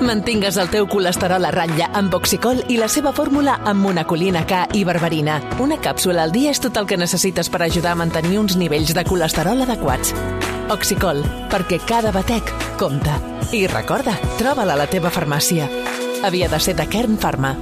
Mantingues el teu colesterol a ratlla amb Oxicol i la seva fórmula amb monacolina K i berberina. Una càpsula al dia és tot el que necessites per ajudar a mantenir uns nivells de colesterol adequats. Oxicol, perquè cada batec compta. I recorda, troba-la a la teva farmàcia. Havia de ser de Kern Pharma.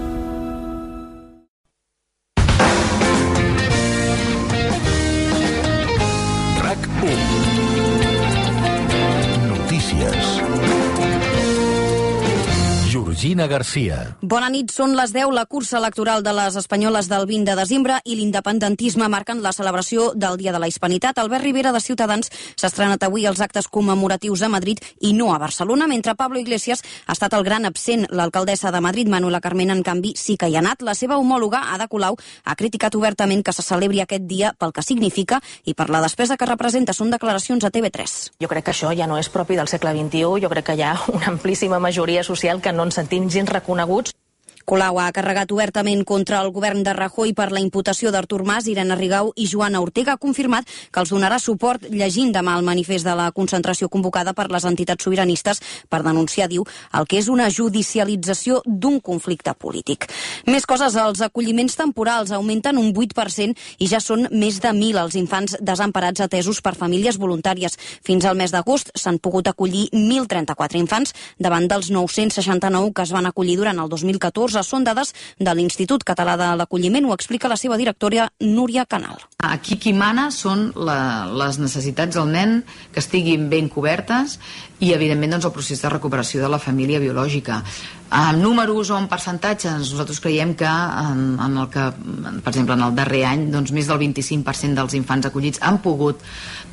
Georgina Garcia. Bona nit, són les 10. La cursa electoral de les espanyoles del 20 de desembre i l'independentisme marquen la celebració del Dia de la Hispanitat. Albert Rivera, de Ciutadans, s'ha estrenat avui els actes commemoratius a Madrid i no a Barcelona, mentre Pablo Iglesias ha estat el gran absent. L'alcaldessa de Madrid, Manuela Carmena, en canvi, sí que hi ha anat. La seva homòloga, Ada Colau, ha criticat obertament que se celebri aquest dia pel que significa i per la despesa que representa. Són declaracions a TV3. Jo crec que això ja no és propi del segle XXI. Jo crec que hi ha una amplíssima majoria social que no ens sentim gens reconeguts. Colau ha carregat obertament contra el govern de Rajoy per la imputació d'Artur Mas, Irene Rigau i Joana Ortega. Ha confirmat que els donarà suport llegint demà el manifest de la concentració convocada per les entitats sobiranistes per denunciar, diu, el que és una judicialització d'un conflicte polític. Més coses, els acolliments temporals augmenten un 8% i ja són més de 1.000 els infants desemparats atesos per famílies voluntàries. Fins al mes d'agost s'han pogut acollir 1.034 infants davant dels 969 que es van acollir durant el 2014. Són dades de l'Institut Català de l'Acolliment, ho explica la seva directora Núria Canal. Aquí qui mana són les necessitats del nen que estiguin ben cobertes i, evidentment, doncs, el procés de recuperació de la família biològica. En números o en percentatges, nosaltres creiem que, per exemple, en el darrer any, doncs, més del 25% dels infants acollits han pogut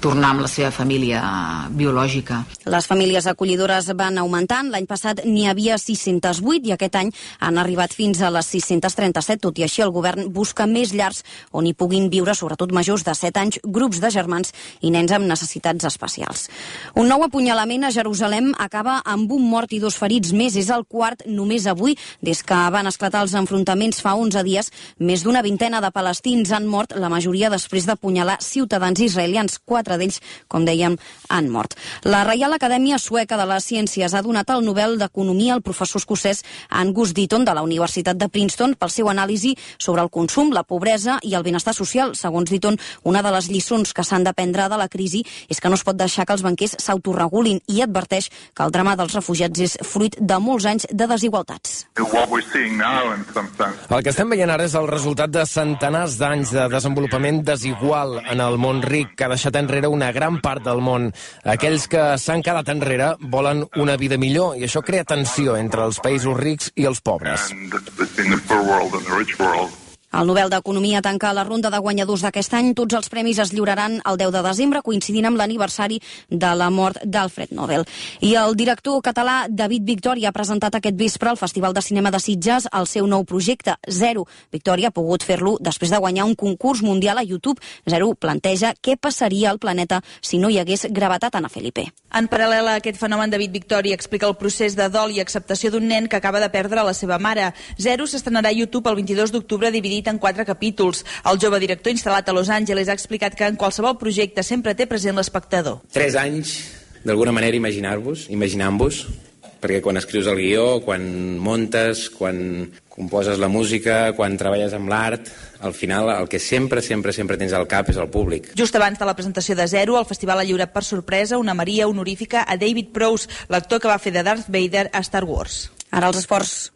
tornar amb la seva família biològica. Les famílies acollidores van augmentant. L'any passat n'hi havia 608 i aquest any han arribat fins a les 637. Tot i així, el govern busca més llars on hi puguin viure, sobretot majors de 7 anys, grups de germans i nens amb necessitats especials. Un nou apunyalament a Jerusalem acaba amb un mort i 2 ferits més. És el quart només avui. Des que van esclatar els enfrontaments fa 11 dies, més d'una vintena de palestins han mort, la majoria després d'apunyalar ciutadans israelians. 4 d'ells, com dèiem, han mort. La Reial Acadèmia Sueca de les Ciències ha donat el Nobel d'Economia al professor escocès Angus Deaton de la Universitat de Princeton pel seu anàlisi sobre el consum, la pobresa i el benestar social. Segons Deaton, una de les lliçons que s'han d'aprendre de la crisi és que no es pot deixar que els banquers s'autoregulin i adverteix que el drama dels refugiats és fruit de molts anys de desigualtats. El que estem veient ara és el resultat de centenars d'anys de desenvolupament desigual en el món ric, que ha deixat enrere una gran part del món. Aquells que s'han quedat enrere volen una vida millor i això crea tensió entre els països rics i els pobres. El Nobel d'Economia tanca la ronda de guanyadors d'aquest any. Tots els premis es lliuraran el 10 de desembre, coincidint amb l'aniversari de la mort d'Alfred Nobel. I el director català David Victòria ha presentat aquest vespre al Festival de Cinema de Sitges el seu nou projecte, Zero. Victòria ha pogut fer-lo després de guanyar un concurs mundial a YouTube. Zero planteja què passaria al planeta si no hi hagués gravetat, Ana Felipe. En paral·lel a aquest fenomen, David Victòria explica el procés de dol i acceptació d'un nen que acaba de perdre la seva mare. Zero s'estrenarà a YouTube el 22 d'octubre, dividit en 4 capítols. El jove director instal·lat a Los Angeles ha explicat que en qualsevol projecte sempre té present l'espectador. 3 anys, d'alguna manera, imaginant-vos, perquè quan escrius el guió, quan montes, quan composes la música, quan treballes amb l'art, al final el que sempre tens al cap és el públic. Just abans de la presentació de Zero, el festival ha lliurat per sorpresa una Maria honorífica a David Prowse, l'actor que va fer de Darth Vader a Star Wars. Ara els esports.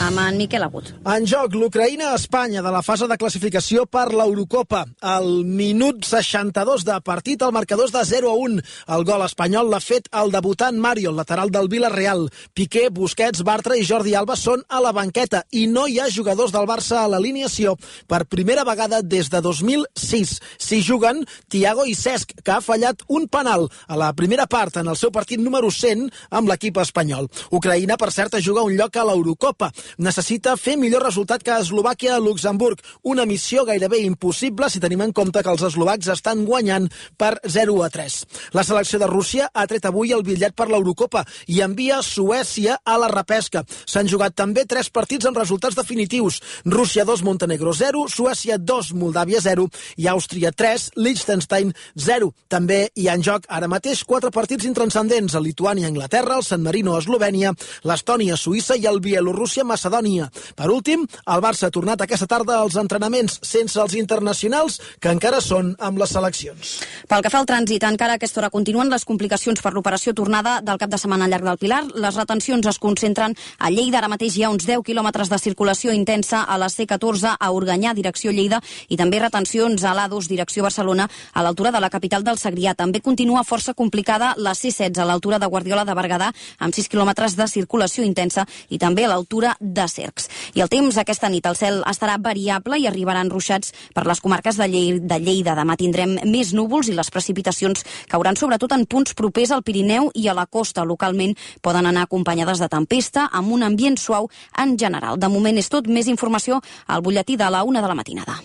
Amb en Miquel Agut. En joc, l'Ucraïna-Espanya de la fase de classificació per l'Eurocopa. Al minut 62 de partit, el marcador és de 0-1. El gol espanyol l'ha fet el debutant Mario, el lateral del Villarreal. Piqué, Busquets, Bartra i Jordi Alba són a la banqueta i no hi ha jugadors del Barça a l'alineació per primera vegada des de 2006. S'hi juguen Thiago i Cesc, que ha fallat un penal a la primera part en el seu partit número 100 amb l'equip espanyol. Ucraïna, per cert, juga un lloc a l'Eurocopa. necessita fer millor resultat que Eslovàquia a Luxemburg, una missió gairebé impossible si tenim en compte que els eslovacs estan guanyant per 0-3. La selecció de Rússia ha tret avui el bitllet per l'Eurocopa i envia Suècia a la repesca. S'han jugat també 3 partits amb resultats definitius. Rússia 2, Montenegro 0, Suècia 2, Moldàvia 0 i Àustria 3, Liechtenstein 0. També hi ha en joc ara mateix 4 partits intranscendents: el Lituània, Anglaterra, el San Marino, Eslovènia, l'Estònia, Suïssa i el Bielorússia, Macedònia. Per últim, el Barça ha tornat aquesta tarda als entrenaments sense els internacionals que encara són amb les seleccions. Pel que fa al trànsit, encara a aquesta hora continuen les complicacions per l'operació tornada del cap de setmana al llarg del Pilar. Les retencions es concentren a Lleida. Ara mateix hi ha uns 10 quilòmetres de circulació intensa a la C14 a Organyà, direcció Lleida, i també retencions a l'A2, direcció Barcelona, a l'altura de la capital del Segrià. També continua força complicada la C16 a l'altura de Guardiola de Berguedà, amb 6 quilòmetres de circulació intensa, i també a l'altura de Cercs. I el temps aquesta nit, el cel estarà variable i arribaran ruixats per les comarques de Lleida. Demà tindrem més núvols i les precipitacions cauran sobretot en punts propers al Pirineu i a la costa. Localment poden anar acompanyades de tempesta, amb un ambient suau en general. De moment és tot. Més informació al butlletí de la 1 de la matinada.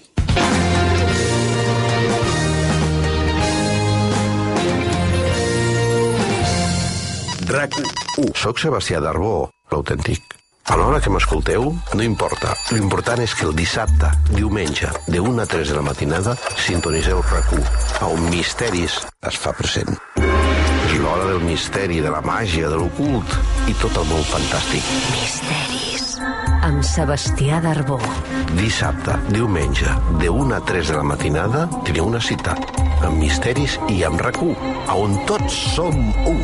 RAC1. Soc Sebastià Darbó, l'autèntic. A l'hora que m'escolteu, no importa. L'important és que el dissabte, diumenge, de 1 a 3 de la matinada, sintoniseu RAC1, on Misteris es fa present. És l'hora del misteri, de la màgia, de l'ocult i tot el món fantàstic. Misteris, amb Sebastià Darbó. Dissabte, diumenge, de 1 a 3 de la matinada, teniu una cita amb Misteris i amb RAC1, on tots som un.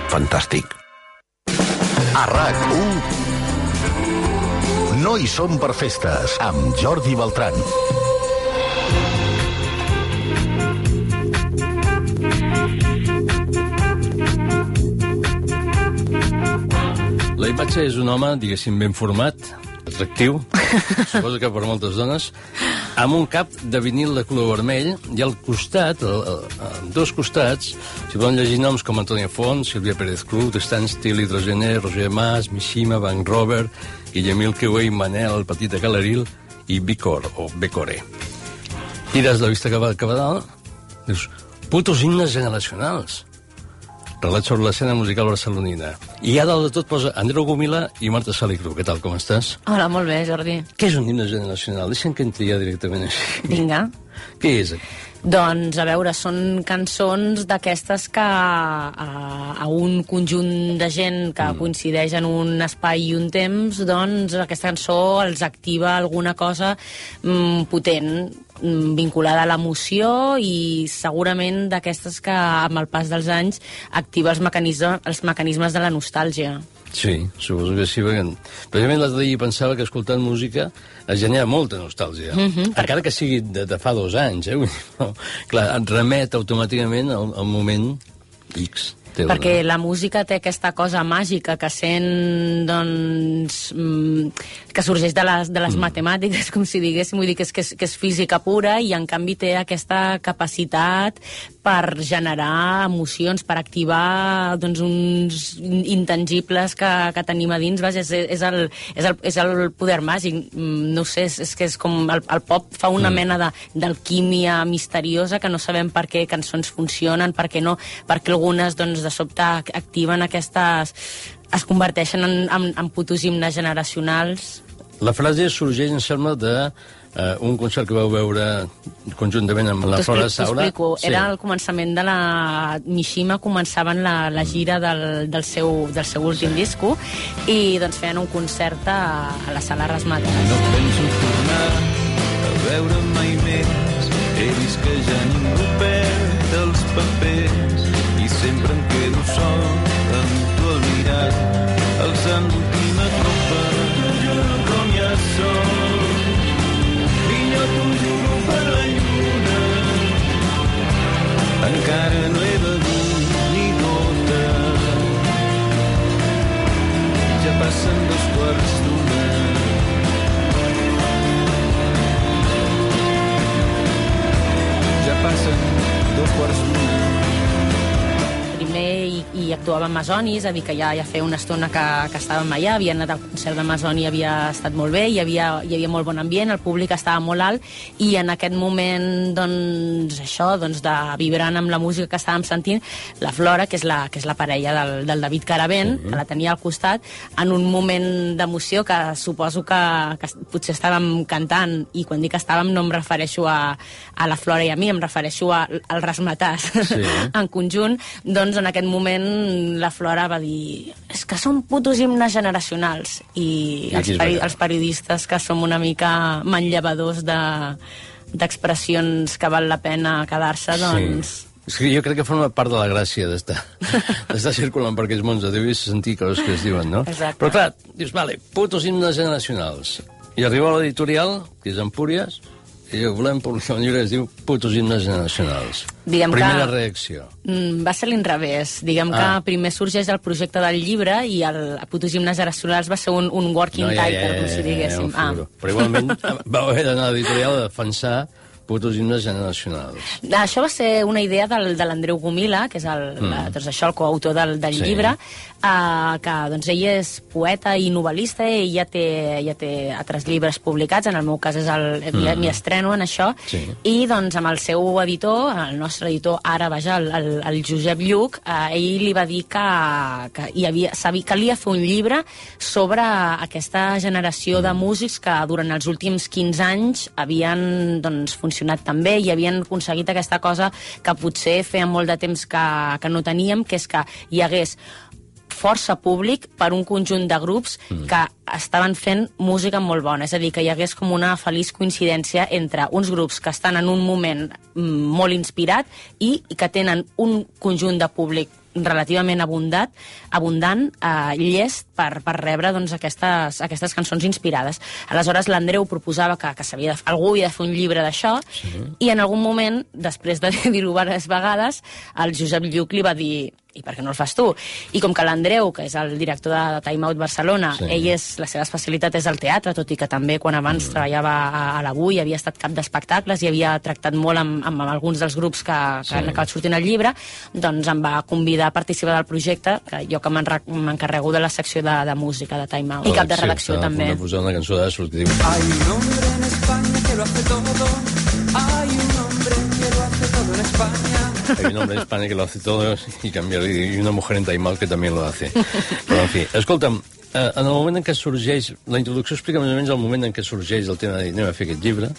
Fantàstic. A RAC1 No hi som per festes, amb Jordi Beltran. La imatge és un home, diguéssim, ben format, atractiu, suposo que per moltes dones, amb un cap de vinil de color vermell i al costat, dos costats, s'hi poden llegir noms com Antònia Font, Sílvia Pérez Cruz, Stan Steele, Hidrogener, Roger Mas, Mishima, Bank Robert, Guillemil Queué, Manel, el petit de Calaril i Bicor, o Becore. Tires la vista cap a dalt, dius, putos himnes generacionals. Relat sobre l'escena musical barcelonina. I a dalt de tot posa Andreu Gomila i Marta Salicru. Què tal, com estàs? Hola, molt bé, Jordi. Què és un himne generacional? Deixa'm que entri ja directament així. Vinga. Què és? Doncs, a veure, són cançons d'aquestes que a un conjunt de gent que coincideix en un espai i un temps, doncs aquesta cançó els activa alguna cosa potent, vinculada a l'emoció i segurament d'aquestes que amb el pas dels anys activa els mecanismes de la nostàlgia. Sí, suposo que sí, perquè precisament l'altre dia pensava que escoltant música es genera molta nostàlgia, encara que sigui de fa 2 anys, però, clar, et remet automàticament al moment X. Perquè la música té aquesta cosa màgica que sent, doncs, que sorgeix de les matemàtiques, com si diguéssim, vull dir que és física pura i en canvi té aquesta capacitat per generar emocions, per activar doncs, uns intangibles que tenim a dins. Vaja, és el poder màgic. No sé, és que és com el pop fa una mena d'alquímia misteriosa que no sabem per què cançons funcionen, per què no, perquè algunes doncs, de sobte activen aquestes... es converteixen en putos himnes generacionals. La frase sorgeix, em sembla, d'un concert que vau veure conjuntament amb la Flora Saura. T'ho explico. Sí. Era el començament de la Mishima, començaven la gira del seu últim disco i doncs feien un concert a la Sala Rasmates. No penso tornar a veure mai més, he vist que ja ningú perd els papers i sempre em quedo sol amb tu al mirar, alçant l'última copa, juro com ja sol. I jo t'ho juro per la lluna, encara no he begut ni gota. Ja passen 2:15. Ja passen 2:15. Primer i actuava amb Masonis, és a dir, que ja feia una estona que estàvem allà, havia anat al concert de Masoni, havia estat molt bé, hi havia molt bon ambient, el públic estava molt alt, i en aquest moment, doncs, això, doncs, de vibrant amb la música que estàvem sentint, la Flora, que és la parella del David Caravent, que la tenia al costat, en un moment d'emoció que suposo que potser estàvem cantant, i quan dic que estàvem no em refereixo a la Flora i a mi, em refereixo al rasmatàs en conjunt, doncs en aquest moment la Flora va dir és que són putos himnes generacionals, i els periodistes que som una mica manllevadors d'expressions que val la pena quedar-se, doncs... És que jo crec que forma part de la gràcia d'estar circulant per aquells mons de Déu i sentir coses que es diuen, no? Exacte. Però clar, dius, vale, putos himnes generacionals. I arriba a l'editorial, que és Empúries, i volem publicar un llibre que es diu Putos himnes generacionals. Primera reacció. Va ser l'inrevés. Diguem que primer sorgeix el projecte del llibre i el Putos himnes generacionals va ser un working title, com si diguéssim. Però igualment va haver d'anar a l'editorial a defensar Putos himnes generacionals. Això va ser una idea de l'Andreu Gomila, que és el coautor del llibre, que doncs, ell és poeta i novel·lista, ell ja té altres llibres publicats, en el meu cas m'hi estreno en això, i doncs amb el seu editor, el nostre editor ara, el Josep Lluc, ell li va dir que calia fer un llibre sobre aquesta generació de músics que durant els últims 15 anys havien funcionat tan bé i havien aconseguit aquesta cosa que potser feia molt de temps que no teníem, que és que hi hagués força públic per un conjunt de grups que estaven fent música molt bona. És a dir, que hi hagués com una feliç coincidència entre uns grups que estan en un moment molt inspirat i que tenen un conjunt de públic relativament abundant, llest per rebre aquestes cançons inspirades. Aleshores, l'Andreu proposava que algú havia de fer un llibre d'això, i en algun moment, després de dir-ho diverses vegades, el Josep Lluc li va dir i per què no el fas tu? I com que l'Andreu, que és el director de Time Out Barcelona, la seva especialitat és el teatre, tot i que també quan abans treballava a l'Avui havia estat cap d'espectacles i havia tractat molt amb alguns dels grups que han acabat sortint al llibre, doncs em va convidar a participar del projecte, jo que m'encarrego de la secció de música de Time Out, i cap de redacció també. Estava a posar una cançó d'Assos que diu Hay un hombre en España que lo hace todo, hay un hombre que lo hace todo en España. Hay un hombre en España que lo hace todo y una mujer en Time Out que també lo hace. Però, en fi, escolta'm, en el moment en què sorgeix... La introducció explica més o menys el moment en què sorgeix el tema de dir anem a fer aquest llibre,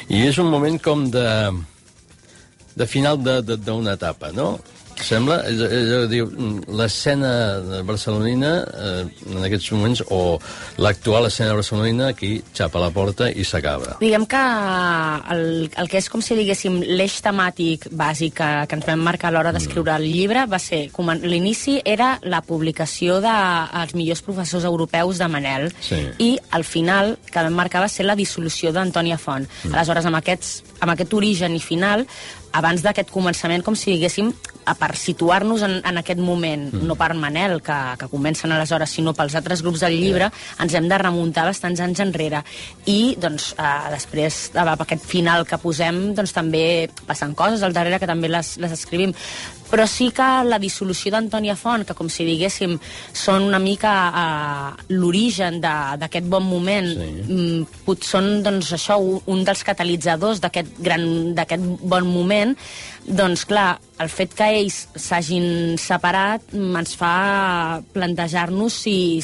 i és un moment com de final d'una etapa, no? Sembla, l'escena barcelonina en aquests moments, o l'actual escena barcelonina, aquí xapa la porta i s'acaba. Diguem que el que és com si diguéssim l'eix temàtic bàsic que ens vam marcar a l'hora d'escriure el llibre va ser, l'inici era la publicació dels millors professors europeus de Manel, i al final que vam marcar va ser la dissolució d'Antònia Font. Aleshores, amb aquest origen i final, abans d'aquest començament, com si diguéssim, per situar-nos en aquest moment, no per Manel, que comencen aleshores, sinó pels altres grups del llibre, ens hem de remuntar bastants anys enrere. I, doncs, després, amb aquest final que posem, doncs també passen coses al darrere que també les escrivim. Però sí que la dissolució d'Antònia Font, que com si diguéssim són una mica l'origen d'aquest bon moment, són doncs això, un dels catalitzadors d'aquest bon moment, doncs clar, el fet que ells s'hagin separat ens fa plantejar-nos si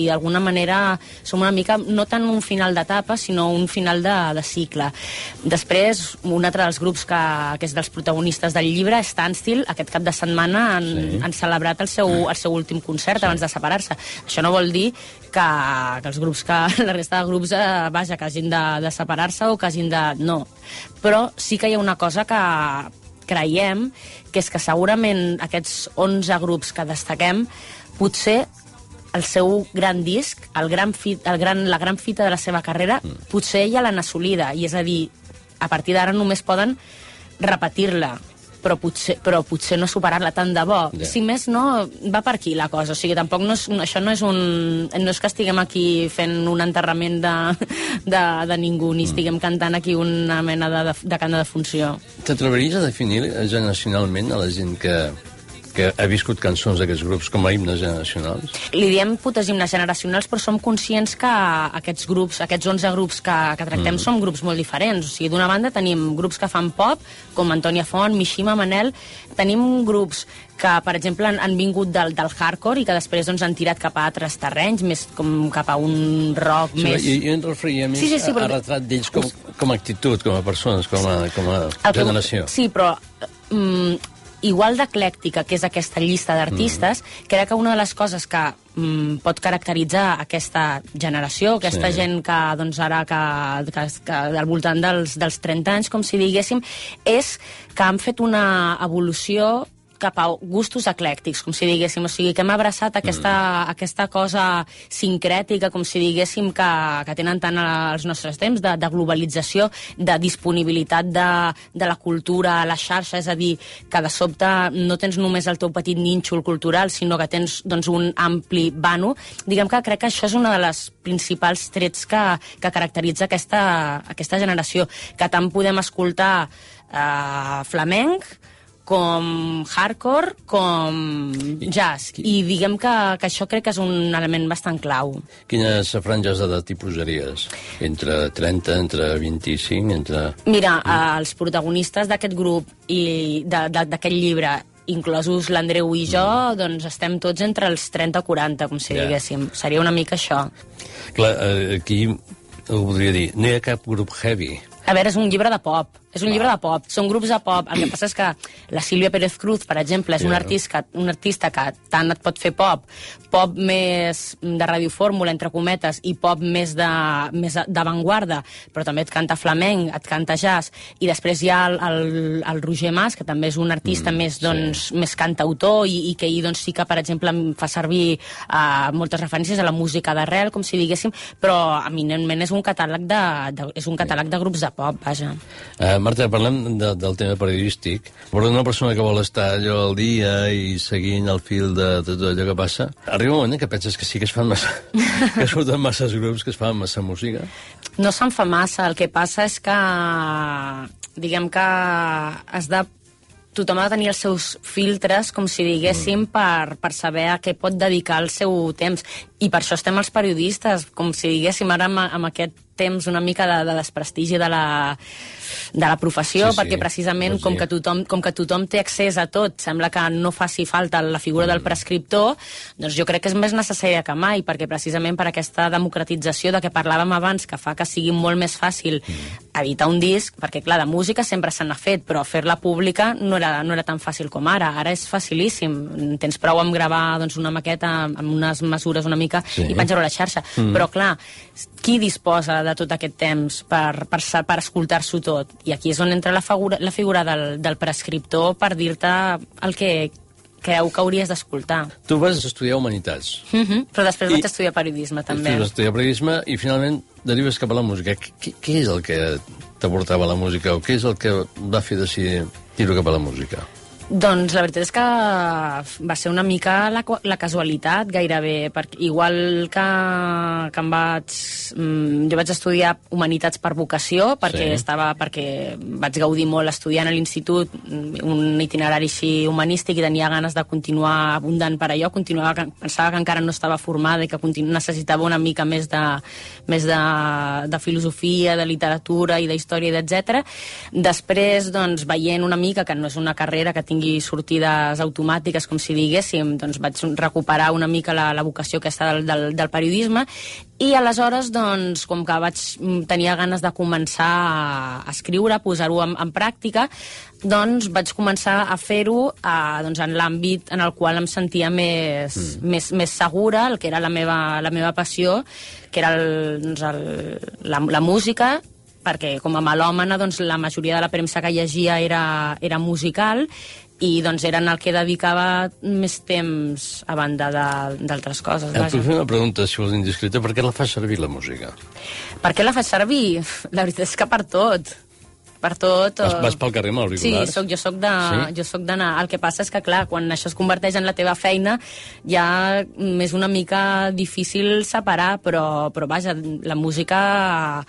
d'alguna manera som una mica, no tant un final d'etapa, sinó un final de cicle. Després, un altre dels grups que és dels protagonistes del llibre, Standstill, aquest cap de setmana han celebrat el seu últim concert abans de separar-se. Això no vol dir que els grups, la resta de grups, vaja, que hagin de separar-se o que hagin de... No. Però sí que hi ha una cosa que creiem, que és que segurament aquests 11 grups que destaquem, potser el seu gran disc, la gran fita de la seva carrera, potser ja l'han assolida, i és a dir, a partir d'ara només poden repetir-la, però potser no superar-la tant de bo. Si més no, va per aquí la cosa. O sigui, tampoc això no és que estiguem aquí fent un enterrament de ningú, ni estiguem cantant aquí una mena de cant de defunció. T'atreveries a definir generacionalment a la gent que que ha viscut cançons d'aquests grups com a himnes generacionals? Li diem putes himnes generacionals, però som conscients que aquests grups, aquests 11 grups que tractem són grups molt diferents. O sigui, d'una banda tenim grups que fan pop, com Antònia Font, Mishima, Manel. Tenim grups que, per exemple, han vingut del hardcore i que després doncs, han tirat cap a altres terrenys, més com cap a un rock més... I en referia més a retrat d'ells com a actitud, com a persones, com a generació. Sí, però... igual d'eclèctica, que és aquesta llista d'artistes, crec que una de les coses que pot caracteritzar aquesta generació, aquesta gent que, doncs, ara que al voltant dels 30 anys, com si diguéssim, és que han fet una evolució cap a gustos eclèctics, com si diguéssim. O sigui, que hem abraçat aquesta cosa sincrètica, com si diguéssim, que tenen tant els nostres temps, de globalització, de disponibilitat de la cultura a la xarxa, és a dir, que de sobte no tens només el teu petit nínxol cultural, sinó que tens doncs, un ampli vano. Diguem que crec que això és una de les principals trets que caracteritza aquesta generació, que tant podem escoltar flamenc, com hardcore, com jazz. I diguem que això crec que és un element bastant clau. Quines franges d'edat hi posaries? Entre 30, entre 25, entre... Mira, els protagonistes d'aquest grup i d'aquest llibre, inclosos l'Andreu i jo, doncs estem tots entre els 30 i 40, com si diguéssim. Seria una mica això. Clar, aquí ho podria dir, no hi ha cap grup heavy. A veure, és un llibre de pop. És un llibre de pop, són grups de pop. El que passa és que la Sílvia Pérez Cruz, per exemple, és un artista que tant et pot fer pop més de radiofórmula, entre cometes, i pop més d'avantguarda, però també et canta flamenc, et canta jazz, i després hi ha el Roger Mas, que també és un artista més cantautor, i que ell sí que, per exemple, fa servir moltes referències a la música d'arrel, com si diguéssim, però eminentment és un catàleg de grups de pop, vaja. Marta, parlem del tema periodístic, però una persona que vol estar allò al dia i seguint el fil de tot allò que passa, arriba un moment que penses que sí que es fan massa, que surten masses grups, que es fan massa música? No se'n fa massa, el que passa és que, diguem que tothom ha de tenir els seus filtres, com si diguéssim, per saber a què pot dedicar el seu temps. I per això estem els periodistes, com si diguéssim, ara amb aquest temps una mica de desprestigi de la professió, perquè precisament com que tothom té accés a tot, sembla que no faci falta la figura del prescriptor, doncs jo crec que és més necessària que mai, perquè precisament per aquesta democratització de què parlàvem abans, que fa que sigui molt més fàcil editar un disc, perquè clar, de música sempre se n'ha fet, però fer-la pública no era tan fàcil com ara és facilíssim, tens prou amb gravar una maqueta amb unes mesures una mica i penjar-ho a la xarxa, però clar, qui disposa de tot aquest temps per escoltar-s'ho tot? I aquí és on entra la figura del prescriptor per dir-te el que creu que hauries d'escoltar. Tu vas estudiar Humanitats. Però després vaig estudiar periodisme, també. Tu vas estudiar periodisme i finalment derives cap a la música. Què és el que t'aportava la música o què és el que va fer decidir tirar cap a la música? Doncs la veritat és que va ser una mica la casualitat, gairebé, perquè igual que jo vaig estudiar Humanitats per vocació, perquè vaig gaudir molt estudiant a l'institut, un itinerari així humanístic, i tenia ganes de continuar abundant per allò, pensava que encara no estava formada i que necessitava una mica més de filosofia, de literatura i d'història, etc. Després, doncs, veient una mica que no és una carrera que tingui sortides automàtiques, com si diguéssim, doncs vaig recuperar una mica la vocació aquesta del periodisme, i aleshores, doncs, com que tenia ganes de començar a escriure, a posar-ho en pràctica, doncs vaig començar a fer-ho en l'àmbit en el qual em sentia més segura, el que era la meva passió, que era la música, perquè com a melòmana la majoria de la premsa que llegia era musical, i doncs era en el que dedicava més temps a banda d'altres coses. Et puc fer una pregunta, si vols indiscreta, per què la fas servir, la música? Per què la fas servir? La veritat és que per tot. Per tot. Vas pel carrer amb auriculars? Sí, jo soc d'anar. El que passa és que, clar, quan això es converteix en la teva feina, ja és una mica difícil separar, però vaja, la música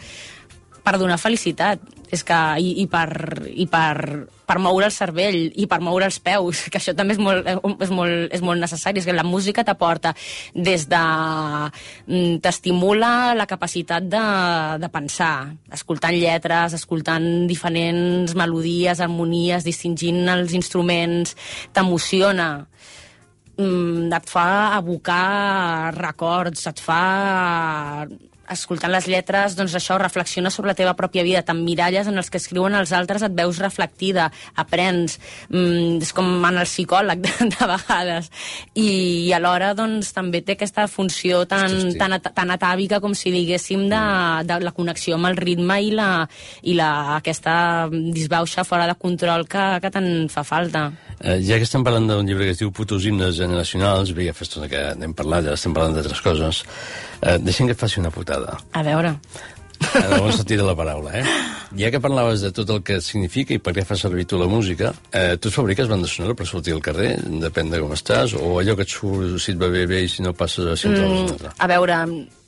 per donar felicitat. i per moure el cervell i per moure els peus, que això també és molt necessari. És que la música t'aporta des de... t'estimula la capacitat de pensar, escoltant lletres, escoltant diferents melodies, harmonies, distingint els instruments, t'emociona, et fa evocar records, et fa... escoltant les lletres, doncs això, reflexiona sobre la teva pròpia vida, t'emmiralles en els que escriuen els altres, et veus reflectida, aprens, és com en el psicòleg de vegades, i alhora doncs també té aquesta funció tan atàvica com si diguéssim de la connexió amb el ritme i aquesta disbauxa fora de control que tant fa falta. Ja que estem parlant d'un llibre que es diu Putos himnes generacionals, bé, ja fa estona que n'hem parlat, ja estem parlant d'altres coses, deixem que et faci una putada. A veure. En el bon sentit de la paraula, Ja que parlaves de tot el que significa i per què fa servir tu la música, tu et fabriques banda sonora per sortir al carrer? Depèn de com estàs? O allò que et surt, si et va bé i si no passes a sempre una altra? A veure,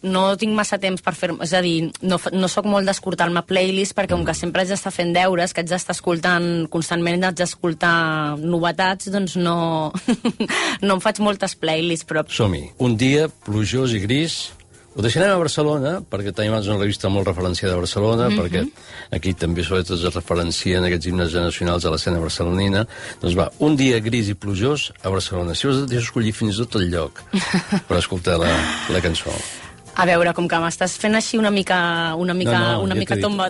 no tinc massa temps per fer... És a dir, no soc molt d'escoltar-me playlist perquè com que sempre haig d'estar fent deures, que haig d'estar escoltant constantment, haig d'escoltar novetats, doncs no em faig moltes playlists, però... Som-hi. Un dia plujós i gris. Ho deixarem a Barcelona, perquè tenim una revista molt referenciada a Barcelona, perquè aquí també sobretot es referencien aquests himnes generacionals a l'escena barcelonina. Doncs va, un dia gris i plujós a Barcelona. Si us deixo escollir fins i tot el lloc per escoltar la cançó. A veure, com que m'estàs fent així una mica tomba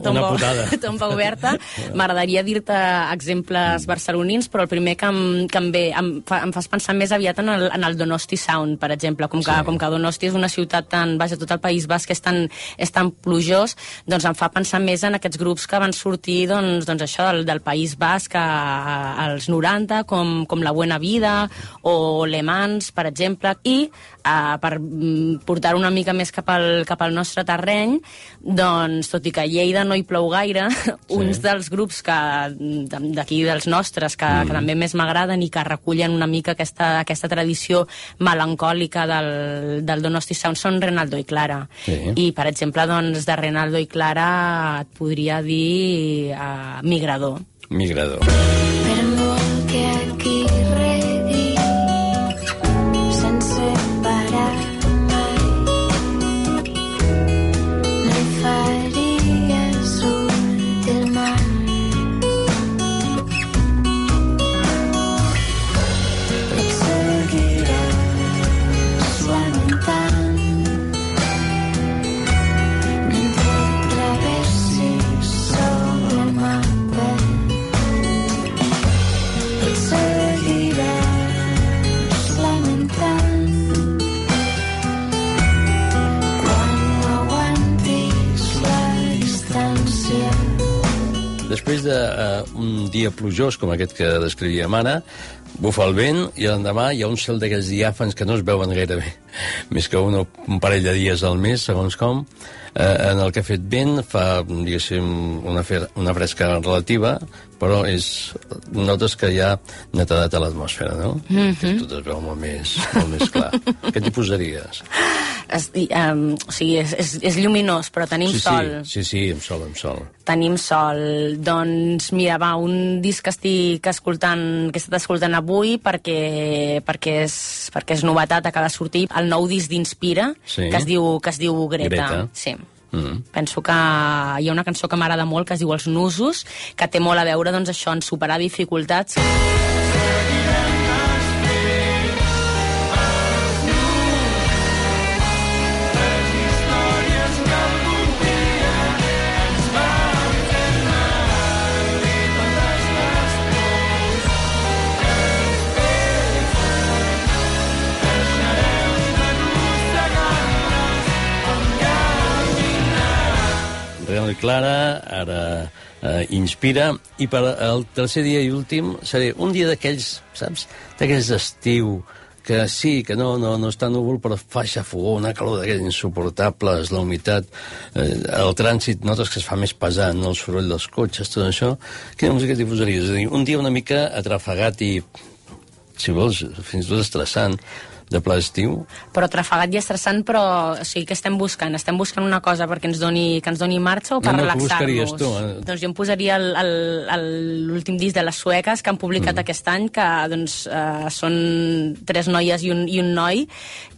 oberta, m'agradaria dir-te exemples barcelonins, però el primer que em fas pensar més aviat en el Donosti Sound, per exemple. Com que Donosti és una ciutat tan... Vaja, tot el País Basc és tan plujós, doncs em fa pensar més en aquests grups que van sortir doncs això del País Basc als 90, com La Buena Vida o Le Mans, per exemple, i per portar una mica més cap al nostre terreny, doncs, tot i que a Lleida no hi plou gaire, uns dels grups d'aquí dels nostres que també més m'agraden i que recullen una mica aquesta tradició melancòlica del Donosti Sound són Renaldo i Clara. I, per exemple, doncs, de Renaldo i Clara et podria dir Migrador. Migrador. Per molt que aquí regui sense parar mai, no hi faria surt del mar. Et seguiràs lamentant mentre travessis sobre el mapa. Et seguiràs lamentant quan no aguantis la distància. Després d'un dia plujós com aquest que descrivíem ara, bufa el vent i l'endemà hi ha un cel d'aquells diàfans que no es veuen gaire bé, més que un parell de dies al mes, segons com, en el que ha fet vent, fa, diguéssim, una fresca relativa, però notes que hi ha netedat a l'atmosfera, no? Que tot es veu molt més clar. Què t'hi posaries? O sigui, és lluminós, però tenim sol. Sí, amb sol. Tenim sol. Doncs, mira, va, un disc que he estat escoltant avui perquè és novetat, acaba de sortir, el nou disc d'Inspira, que es diu Greta. Sí. Penso que hi ha una cançó que m'agrada molt que es diu Els Nusos, que té molt a veure, doncs, això, en superar dificultats. Renaldo i Clara, ara Inspira, i per al tercer dia i últim seré un dia d'aquells, saps? D'aquells d'estiu, que sí, que no està núvol, però fa xafogó, una calor d'aquells insuportables, la humitat, el trànsit, notes que es fa més pesant, el soroll dels cotxes, tot això. Quina música t'hi posaries? És a dir, un dia una mica atrafegat i, si vols, fins i tot estressant, de pla d'estiu. Però trafegat i estressant, però o sigui, què estem buscant? Estem buscant una cosa perquè ens doni marxa o per relaxar-nos? Doncs jo em posaria l'últim disc de les sueques que han publicat aquest any, que doncs, són 3 noies i un noi,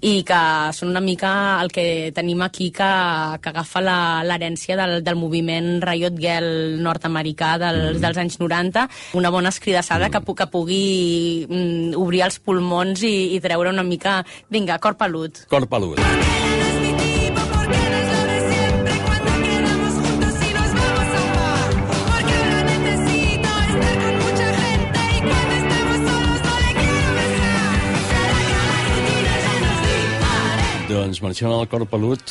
i que són una mica el que tenim aquí que agafa l'herència del moviment Riot Girl nord-americà dels anys 90, una bona escridassada que pugui obrir els pulmons i treure una mica. Vinga, cor pelut. Cor pelut. Doncs marxem al cor pelut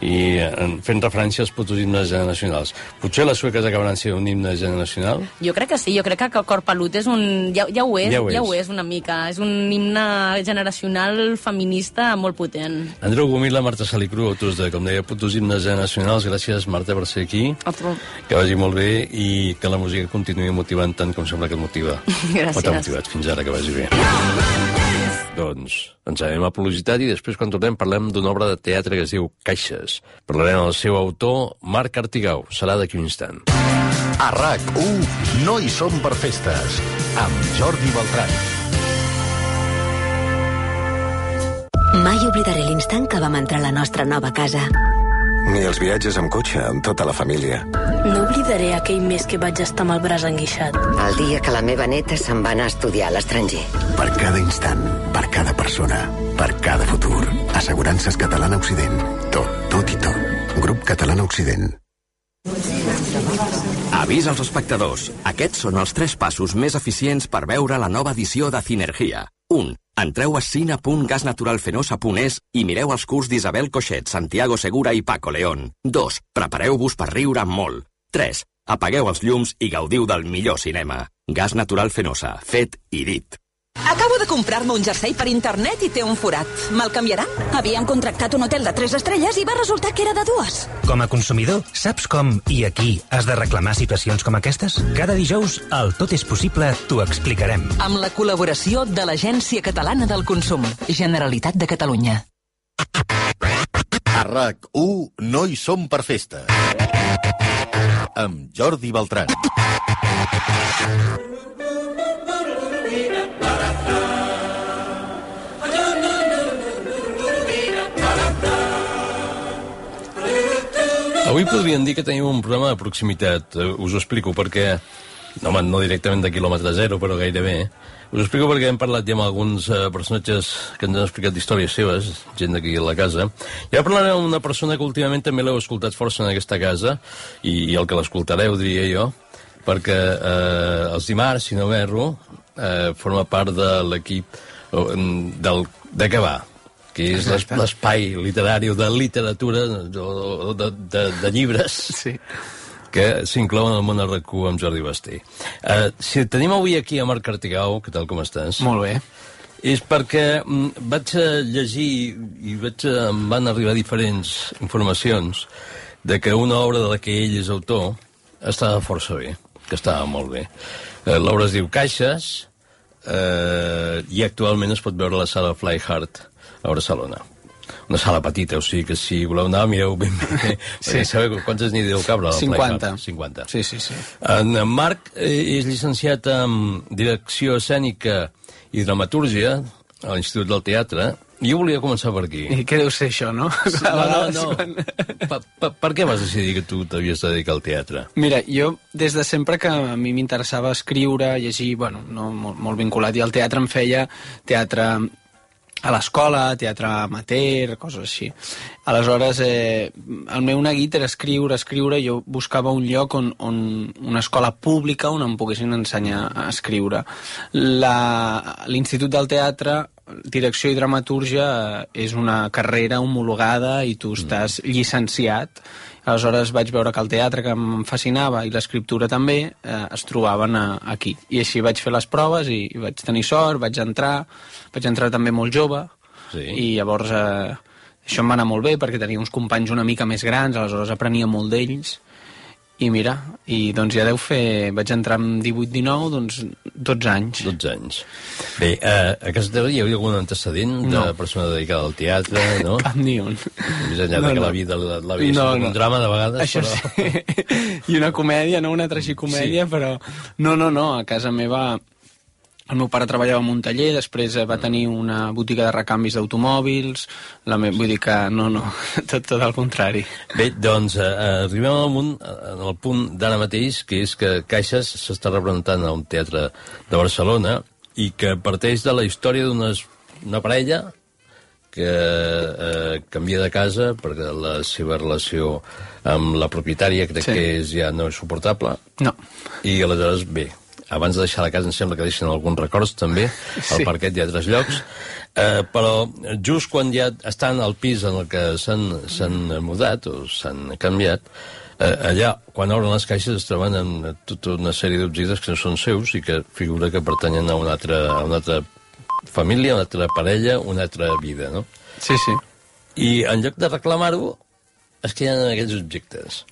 i fent referència als putos himnes generacionals. Potser les sueques acabaran sent un himne generacional? Jo crec que sí, jo crec que cor pelut és un... Ja ho és una mica. És un himne generacional feminista molt potent. Andreu Gomila, Marta Salicru, autors de, com deia, putos himnes generacionals. Gràcies, Marta, per ser aquí. Que vagi molt bé i que la música continuï motivant tant com sembla que et motiva. Gràcies. O t'ha motivat fins ara, que vagi bé. Doncs ens anem a publicitat i després, quan tornem, parlem d'una obra de teatre que es diu Caixes. Parlarem del seu autor, Marc Artigau. Serà d'aquí un instant. A RAC1, no hi som per festes, amb Jordi Beltrán. Mai oblidaré l'instant que vam entrar a la nostra nova casa. Ni els viatges amb cotxe, amb tota la família. No oblidaré aquell mes que vaig estar amb el braç enguixat. El dia que la meva neta se'n va anar a estudiar a l'estranger. Per cada instant, per cada persona, per cada futur. Assegurances Catalana Occident. Tot i tot. Grup Catalana Occident. Avís als espectadors. Aquests són els 3 passos més eficients per veure la nova edició de Cinergia. 1. Entreu a cine.gasnaturalfenosa.es i mireu els curts d'Isabel Coixet, Santiago Segura i Paco León. 2. Prepareu-vos per riure molt. 3. Apagueu els llums i gaudiu del millor cinema. Gas Natural Fenosa. Fet i dit. Acabo de comprar-me un jersei per internet i té un forat. Me'l canviaran? Havíem contractat un hotel de 3 estrelles i va resultar que era de 2. Com a consumidor, saps com i aquí has de reclamar situacions com aquestes? Cada dijous, al Tot és possible, t'ho explicarem. Amb la col·laboració de l'Agència Catalana del Consum, Generalitat de Catalunya. A RAC1, no hi som per festes. Amb Jordi Beltrán. Avui podríem dir que tenim un programa de proximitat. Us ho explico perquè... No directament de quilòmetre zero, però gairebé. Us ho explico perquè hem parlat ja amb alguns personatges que ens han explicat històries seves, gent d'aquí a la casa. I ara parlarem amb una persona que últimament també l'heu escoltat força en aquesta casa, i el que l'escoltareu, diria jo, perquè els dimarts, si no m'erro, forma part de l'equip de Què va?, que és l'espai literari de literatura, de llibres, que s'inclouen al món RAC1 amb Jordi Basté. Si tenim avui aquí a Marc Artigau, què tal, com estàs? Molt bé. És perquè vaig llegir i em van arribar diferents informacions de que una obra de la que ell és autor estava força bé, que estava molt bé. L'obra es diu Caixes i actualment es pot veure a la sala Fly Hard a Barcelona. Una sala petita, o sigui que si voleu anar, mireu ben bé. Sí. Sabeu quantes n'hi deu cabre? 50. 50. Sí. En Marc és llicenciat en Direcció Escènica i Dramatúrgia a l'Institut del Teatre. Jo volia començar per aquí. I què deu ser això, no? No. Per què vas decidir que tu t'havies de dedicar al teatre? Mira, jo des de sempre que a mi m'interessava escriure, llegir, no, molt vinculat, i el teatre em feia teatre a l'escola, teatre amateur, coses així. Aleshores, el meu neguit era escriure, jo buscava un lloc on una escola pública on em poguessin ensenyar a escriure. L'Institut del Teatre, Direcció i Dramatúrgia, és una carrera homologada i tu estàs llicenciat. Aleshores vaig veure que el teatre, que em fascinava, i l'escriptura també, es trobaven aquí. I així vaig fer les proves i vaig tenir sort, vaig entrar també molt jove, i llavors això em va anar molt bé perquè tenia uns companys una mica més grans, aleshores aprenia molt d'ells, I mira, doncs ja vaig entrar amb 18-19, doncs 12 anys. 12 anys. Bé, a casa teva hi havia algun antecedent de persona dedicada al teatre, no? Cap ni un. Més enllà que la vida l'havia sigut un drama de vegades, això però... sí. I una comèdia, no una tragicomèdia, sí. Però... No, a casa meva... El meu pare treballava en un taller, després va tenir una botiga de recanvis d'automòbils, vull dir que no, tot al contrari. Bé, doncs arribem al punt d'ara mateix, que és que Caixes s'està representant a un teatre de Barcelona i que parteix de la història d'una parella que canvia de casa perquè la seva relació amb la propietària crec que ja no és suportable. No. I aleshores, bé, abans de deixar la casa em sembla que deixen alguns records també, al parquet i a altres llocs, però just quan ja estan al pis en el que s'han mudat o s'han canviat, allà, quan obren les caixes, es troben amb tota una sèrie d'objectes que no són seus i que figura que pertanyen a una altra família, una altra parella, una altra vida, no? Sí. I en lloc de reclamar-ho, es queden en aquests objectes.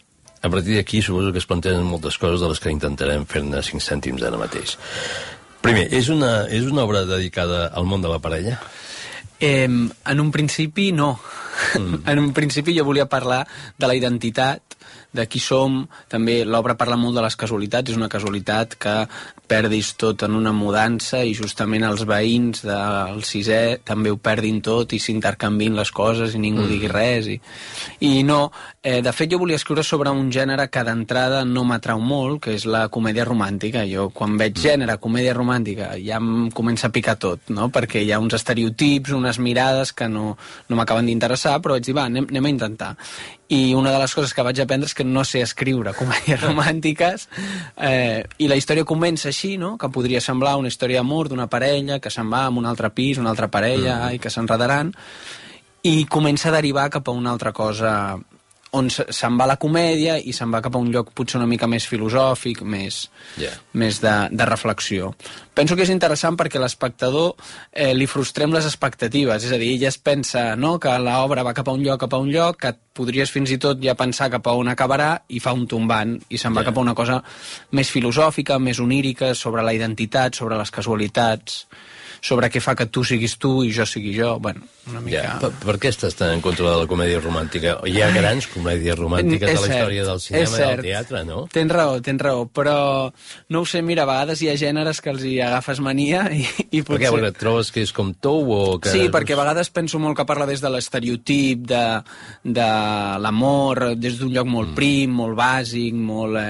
A partir d'aquí suposo que es plantegen moltes coses de les que intentarem fer-ne 5 cèntims ara mateix. Primer, és una obra dedicada al món de la parella? En un principi, no. En un principi jo volia parlar de la identitat, de qui som. També l'obra parla molt de les casualitats. És una casualitat que perdis tot en una mudança i justament els veïns del 6è també ho perdin tot i s'intercanvin les coses i ningú digui res. I no, de fet jo volia escriure sobre un gènere que d'entrada no m'atrau molt, que és la comèdia romàntica. Jo quan veig gènere, comèdia romàntica, ja em comença a picar tot, no? Perquè hi ha uns estereotips, unes mirades que no m'acaben d'interessar, però vaig dir, va, anem a intentar. I una de les coses que vaig aprendre és que no sé escriure comèdies romàntiques, i la història comença així, no? Que podria semblar una història d'amor d'una parella que se'n va a un altre pis, una altra parella, i que s'enredaran, i comença a derivar cap a una altra cosa on se'n va la comèdia i se'n va cap a un lloc potser una mica més filosòfic, més de reflexió. Penso que és interessant perquè a l'espectador li frustrem les expectatives, és a dir, ell es pensa que l'obra va cap a un lloc, que podries fins i tot ja pensar cap a on acabarà i fa un tombant i se'n va cap a una cosa més filosòfica, més onírica, sobre la identitat, sobre les casualitats, sobre què fa que tu siguis tu i jo sigui jo, bueno, una mica... Per què estàs tan en contra de la comèdia romàntica? Hi ha grans comèdies romàntiques a la història del cinema i del teatre, no? Tens raó, però no ho sé, mira, a vegades hi ha gèneres que els hi agafes mania i potser... Per què? Perquè et trobes que és com tou o que... Sí, perquè a vegades penso molt que parla des de l'estereotip, de l'amor, des d'un lloc molt prim, molt bàsic, molt...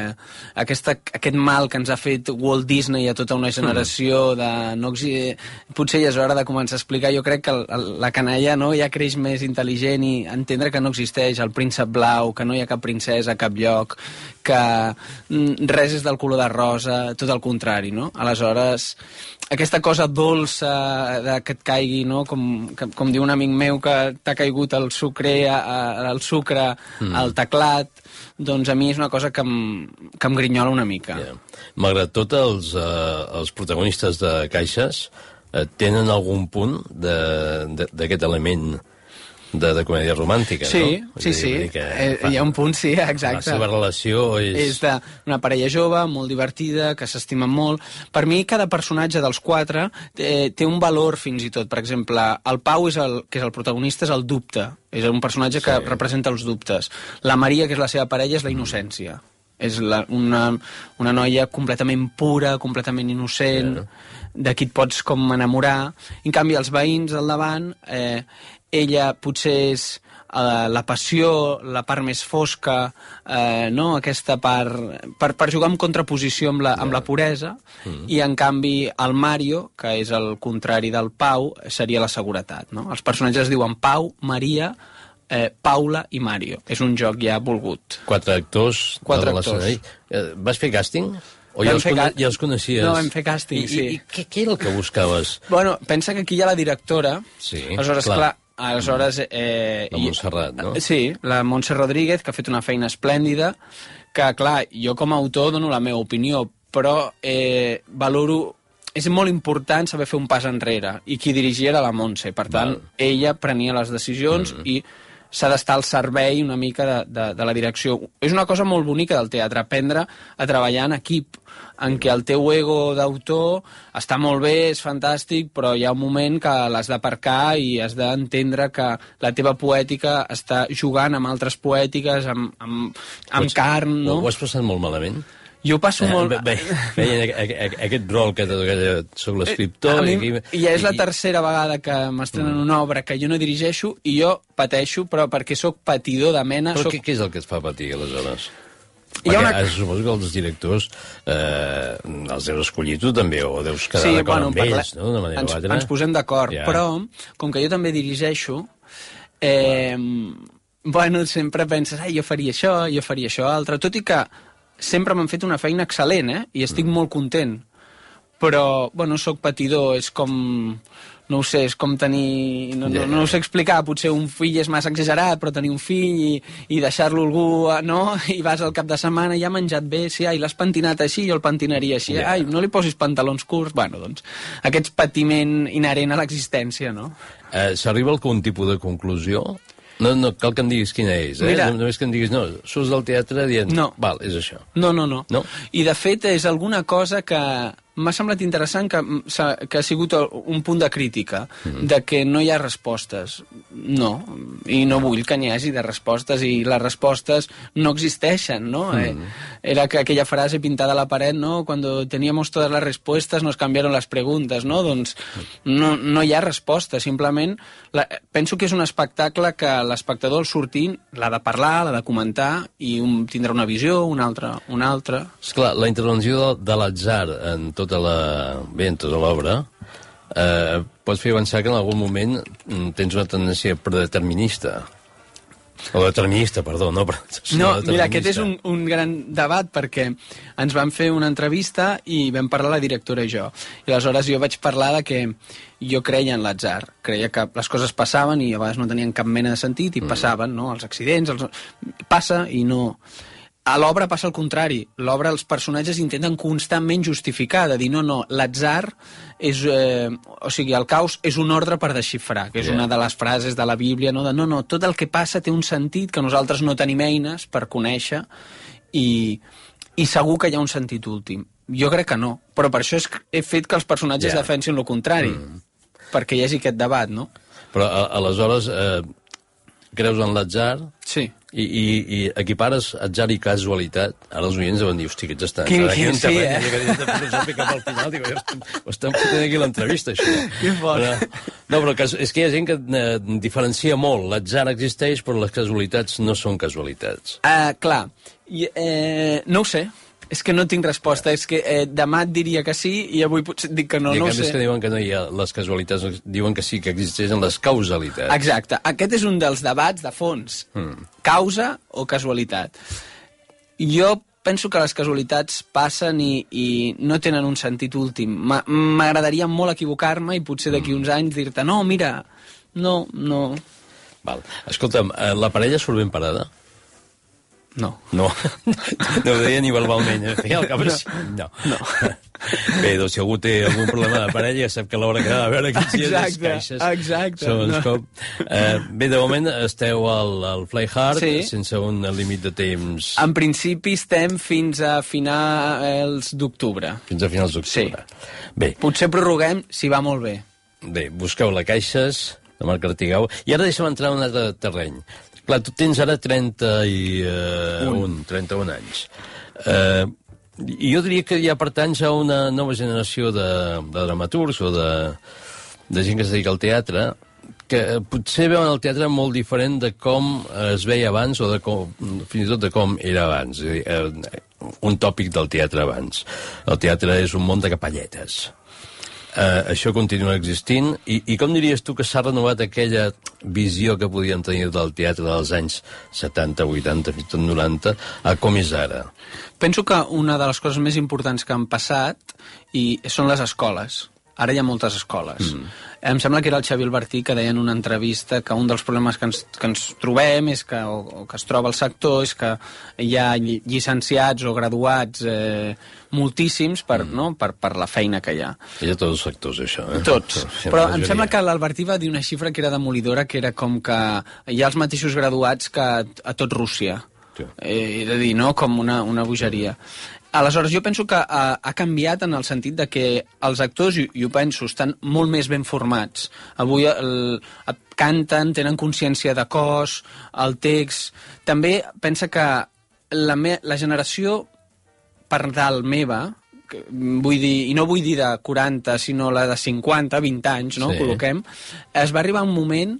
Aquest mal que ens ha fet Walt Disney a tota una generació de... Potser ja és hora de començar a explicar. Jo crec que la canalla ja creix més intel·ligent i entendre que no existeix el príncep blau, que no hi ha cap princesa a cap lloc, que res és del color de rosa, tot el contrari, no? Aleshores, aquesta cosa dolça que et caigui, no? Com diu un amic meu que t'ha caigut el sucre al teclat, doncs a mi és una cosa que em grinyola una mica. Malgrat tot, els protagonistes de Caixes tenen algun punt d'aquest element de comèdia romàntica, no? Sí. Hi ha un punt, sí, exacte. La seva relació és... És d'una parella jove, molt divertida, que s'estimen molt. Per mi, cada personatge dels 4 té un valor, fins i tot. Per exemple, el Pau, que és el protagonista, és el dubte. És un personatge que representa els dubtes. La Maria, que és la seva parella, és la innocència. És una noia completament pura, completament innocent, de qui et pots com enamorar. En canvi, els veïns al davant, ella potser és la passió, la part més fosca, aquesta part... Per jugar en contraposició amb la puresa, i en canvi el Mario, que és el contrari del Pau, seria la seguretat. No? Els personatges es diuen Pau, Maria, Paula i Mario. És un joc ja volgut. 4 actors. 4 actors. Vas fer càsting? O ja els coneixies? No, vam fer càsting, sí. I què era el que buscaves? Bueno, pensa que aquí hi ha la directora. Sí, aleshores, clar. Aleshores... la Montserrat, no? Sí, la Montse Rodríguez, que ha fet una feina esplèndida, que, clar, jo com a autor dono la meva opinió, però valoro... És molt important saber fer un pas enrere, i qui dirigia era la Montse. Per tant, ella prenia les decisions i s'ha d'estar al servei una mica de la direcció. És una cosa molt bonica del teatre, aprendre a treballar en equip, en què el teu ego d'autor està molt bé, és fantàstic, però hi ha un moment que l'has d'aparcar i has d'entendre que la teva poètica està jugant amb altres poètiques, amb carn, no? Ho has passat molt malament? Jo passo molt... Veient aquest rol que soc l'escriptor... I és la tercera vegada que m'estrenen una obra que jo no dirigeixo i jo pateixo, però perquè sóc patidor de mena... Però què és el que et fa patir, aleshores? Perquè suposo que els directors els deus escollir tu també, o deus quedar d'acord amb ells, no? De manera o altra. Ens posem d'acord, però com que jo també dirigeixo, sempre penses, jo faria això altre, tot i que sempre m'han fet una feina excel·lent, i estic molt content. Però, soc patidor, és com... No ho sé, és com tenir... No ho sé explicar, potser un fill és massa exagerat, però tenir un fill i deixar-lo algú, no? I vas al cap de setmana i ha menjat bé, sí, l'has pentinat així, jo el pentinaria així, no li posis pantalons curts, doncs, aquest patiment inherent a l'existència, no? S'arriba a algun tipus de conclusió? No cal que em diguis quina és, Mira, només que em diguis, surts del teatre dient, val, és això. No. I de fet és alguna cosa que m'ha semblat interessant, que ha sigut un punt de crítica, de que no hi ha respostes. No, i no vull que n'hi hagi de respostes, i les respostes no existeixen, no? Era aquella frase pintada a la paret, no? Cuando teníamos todas las respuestas nos cambiaron las preguntas, no? Doncs no hi ha resposta, simplement penso que és un espectacle que l'espectador al sortint l'ha de parlar, l'ha de comentar, i tindrà una visió, una altra. Esclar, la intervenció de l'atzar en tota l'obra pots fer avançar que en algun moment tens una tendència predeterminista. O determinista, perdó, no mira, aquest és un gran debat, perquè ens van fer una entrevista i vam parlar la directora i jo. I aleshores jo vaig parlar de que jo creia en l'atzar, creia que les coses passaven i a vegades no tenien cap mena de sentit i passaven, no? Els accidents, passa i no... A l'obra passa el contrari. L'obra, els personatges intenten constantment justificar, de dir, no, l'atzar és... o sigui, el caos és un ordre per desxifrar, que és una de les frases de la Bíblia, no, tot el que passa té un sentit que nosaltres no tenim eines per conèixer, i segur que hi ha un sentit últim. Jo crec que no, però per això he fet que els personatges defensin el contrari, perquè hi hagi aquest debat, no? Però, aleshores, creus en l'atzar? Sí. I equipares atzar i casualitat. Ara els oients deuen dir, hosti, que ets estan... Sí, filosòfica pel final, dic, ho estan fotent aquí l'entrevista, això. Que fort. No, però és que hi ha gent que diferencia molt. L'atzar existeix, però les casualitats no són casualitats. Clar, no ho sé. És que no tinc resposta, és que demà et diria que sí i avui potser et dic que no, no ho sé. I que diuen que no hi ha les casualitats, diuen que sí, que existeixen les causalitats. Exacte, aquest és un dels debats de fons. Causa o casualitat. Jo penso que les casualitats passen i no tenen un sentit últim. M'agradaria molt equivocar-me i potser d'aquí uns anys dir-te, no, mira, no. Val. Escolta'm, la parella surt ben parada? No. No ho deia ni verbalment, al cap no. Bé, doncs si algú té algun problema de parella ja sap que a l'hora que va a veure aquests dies les caixes. Exacte. Bé, de moment esteu al Fly Hard, sense un límit de temps. En principi estem fins a finals d'octubre. Fins a finals d'octubre. Sí. Bé. Potser prorroguem si va molt bé. Bé, busqueu la Caixes, de Marc Artigau. I ara deixa'm entrar en un altre terreny. Clar, tu tens ara 31 anys. I jo diria que ja pertanys a una nova generació de dramaturgs o de gent que es dedica al teatre, que potser veuen el teatre molt diferent de com es veia abans o fins i tot de com era abans. Un tòpic del teatre abans. El teatre és un món de capelletes. Això continua existint i com diries tu que s'ha renovat aquella visió que podíem tenir del teatre dels anys 70, 80, fins i tot 90 a com és ara? Penso que una de les coses més importants que han passat són les escoles. Ara hi ha moltes escoles. Em sembla que era el Xavi Albertí que deia en una entrevista que un dels problemes que ens trobem és que, o que es troba el sector és que hi ha llicenciats o graduats moltíssims per la feina que hi ha. Hi ha tots els sectors, això. Tots. Però em sembla que l'Albertí va dir una xifra que era demolidora, que era com que hi ha els mateixos graduats que a tot Rússia. He de dir, no? Com una bogeria. Aleshores, jo penso que ha canviat en el sentit de que els actors, i ho penso, estan molt més ben formats. Avui canten, tenen consciència de cos, el text... També pensa que la generació per dalt meva, vull dir, i no vull dir de 40, sinó la de 50, 20 anys, no? Col·loquem, es va arribar un moment,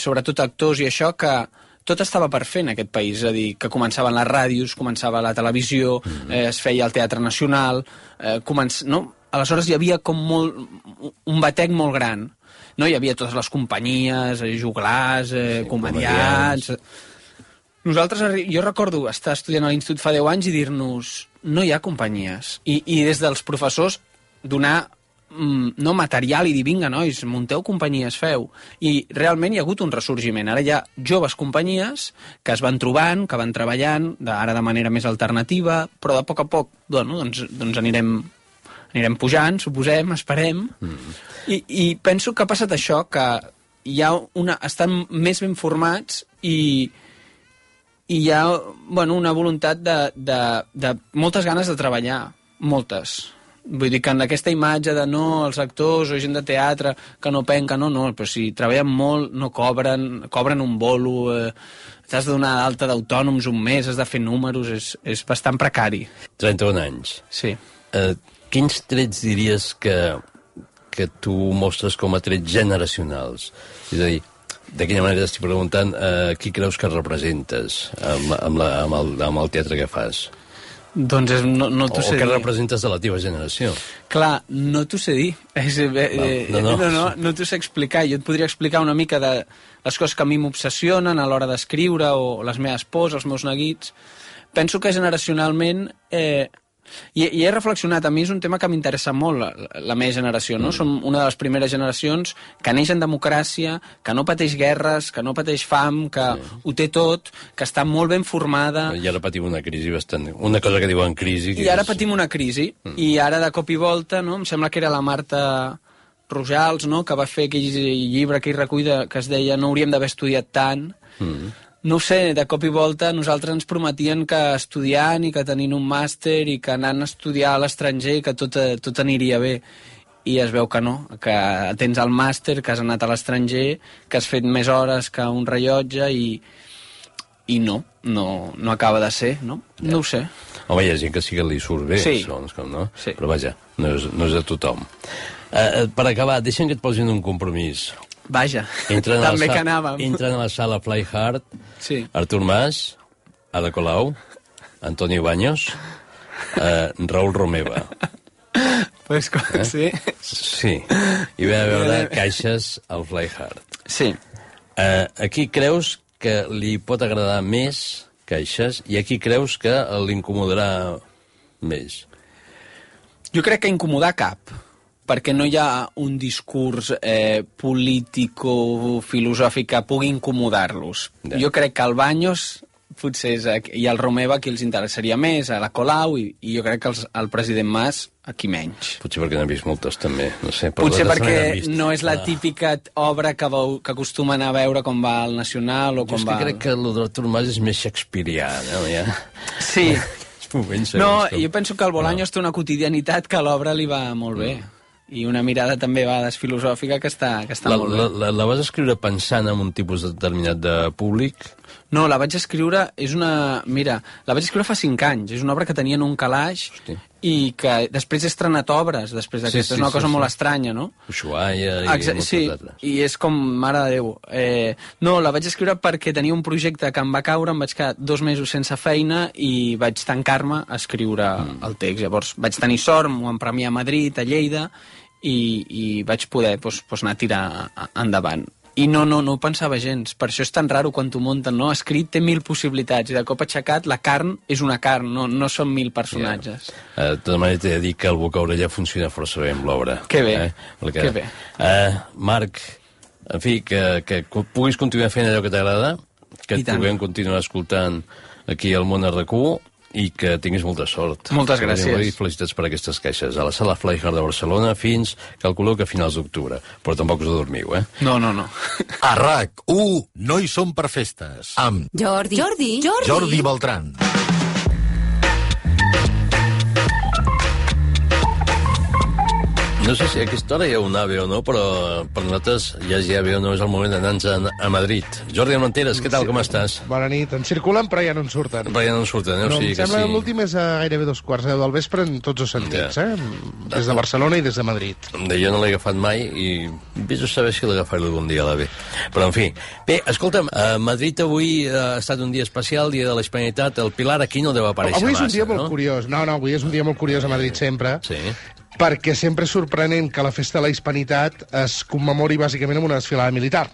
sobretot actors i això, que tot estava per fer en aquest país, és a dir, que començaven les ràdios, començava la televisió, es feia el Teatre Nacional, no? Aleshores hi havia com un batec molt gran, no? Hi havia totes les companyies, joglars, comediants... Jo recordo estar estudiant a l'institut fa 10 anys i dir-nos no hi ha companyies. I des dels professors donar no material i dir, vinga, nois, munteu companyies, feu. I realment hi ha hagut un ressorgiment. Ara hi ha joves companyies que es van trobant, que van treballant, ara de manera més alternativa, però de poc a poc doncs anirem pujant, suposem, esperem. I penso que ha passat això, que estan més ben formats i hi ha una voluntat de moltes ganes de treballar, moltes. Vull dir que en aquesta imatge de no, els actors o gent de teatre que no penca, no, però si treballen molt, no cobren un bolo, t'has de donar d'alta d'autònoms un mes, has de fer números, és bastant precari. 31 anys. Sí. Quins trets diries que tu mostres com a trets generacionals? És a dir, de quina manera estic preguntant qui creus que representes amb el teatre que fas? Doncs no t'ho sé dir. O què representes de la teva generació? Clar, no t'ho sé dir. No t'ho sé explicar. Jo et podria explicar una mica de les coses que a mi m'obsessionen a l'hora d'escriure, o les meves pors, els meus neguits. Penso que generacionalment... I he reflexionat, a mi és un tema que m'interessa molt, la meva generació, no? Som una de les primeres generacions que neix en democràcia, que no pateix guerres, que no pateix fam, que ho té tot, que està molt ben formada... I ara patim una crisi bastant... Una cosa que diuen crisi... I ara patim una crisi, i ara de cop i volta, no? Em sembla que era la Marta Rojals, no?, que va fer aquell llibre, aquell recull que es deia No hauríem d'haver estudiat tant... No ho sé, de cop i volta nosaltres ens prometien que estudiant i que tenint un màster i que anant a estudiar a l'estranger que tot aniria bé. I es veu que no, que tens el màster, que has anat a l'estranger, que has fet més hores que un rellotge i no acaba de ser, no? No ho sé. Home, hi ha gent que sí que li surt bé, no? Sí. Però vaja, no és a tothom. Per acabar, deixa'm que et posin un compromís. Vaja, també que anàvem. Entren a la sala Fly Hard, Artur Mas, Ada Colau, Antonio Baños, Raül Romeva. Pues sí. Sí, i ve a veure caixes al Fly Hard. Sí. Aquí creus que li pot agradar més caixes i aquí creus que l'incomodarà més? Jo crec que incomodar cap, perquè no hi ha un discurs político-filosòfic que pugui incomodar-los. Jo crec que el Baños potser i el Romeva qui els interessaria més, a la Colau, i jo crec que el president Mas aquí menys. Potser perquè n'han vist moltes també, no sé. Potser perquè no és la típica obra que acostumen a veure com va al Nacional o com va... Jo crec que el d'Artur Mas és més shakespearià, no? Ja. Sí. No, jo penso que el Bolaños té una quotidianitat que a l'obra li va molt bé. I una mirada també a vegades filosòfica que està molt bé. La vas escriure pensant en un tipus determinat de públic? No, la vaig escriure, Mira, la vaig escriure fa 5 anys. És una obra que tenia en un calaix i que després he estrenat obres després d'aquesta. És una cosa molt estranya, no? Ushuaia i moltes altres. I és com, mare de Déu. No, la vaig escriure perquè tenia un projecte que em va caure, em vaig quedar 2 mesos sense feina i vaig tancar-me a escriure el text. Llavors vaig tenir sort, m'ho van premiar a Madrid, a Lleida, i vaig poder anar a tirar endavant. I no ho pensava gens. Per això és tan raro quan t'ho munten, no? Escrit té 1000 possibilitats, i de cop aixecat la carn és una carn, no són 1000 personatges. De tota manera t'he de dir que el boca-orella funciona força bé amb l'obra. Que bé, que bé. Marc, en fi, que puguis continuar fent allò que t'agrada, que et puguem continuar escoltant aquí al Món RQ, i que tinguis molta sort. Moltes gràcies. I felicitats per aquestes queixes. A la Sala Flyhard de Barcelona fins, calculo que a finals d'octubre. Però tampoc us dormiu, eh? No. A RAC1 no hi som per festes. Amb Jordi Beltran. No sé si a aquesta hora hi ha un AVE o no, però per nosaltres ja hi ha AVE o no, és el moment d'anar-nos a Madrid. Jordi Armenteres, què tal, com estàs? Bona nit, en circulen però ja no en surten. Però ja no en surten, no? Em sembla que l'últim és a gairebé 2:15 del vespre en tots els sentits, des de Barcelona i des de Madrid. Jo no l'he agafat mai i vés a saber si l'agafaré algun dia a l'AVE. Però, en fi. Bé, escolta'm, a Madrid avui ha estat un dia especial, dia de la Hispanitat. El Pilar aquí no deu aparèixer massa, no? Avui és un dia molt curiós. No, avui és un dia molt curiós a Madrid sempre. Sí. Perquè sempre és sorprenent que la festa de la Hispanitat es commemori bàsicament amb una desfilada militar.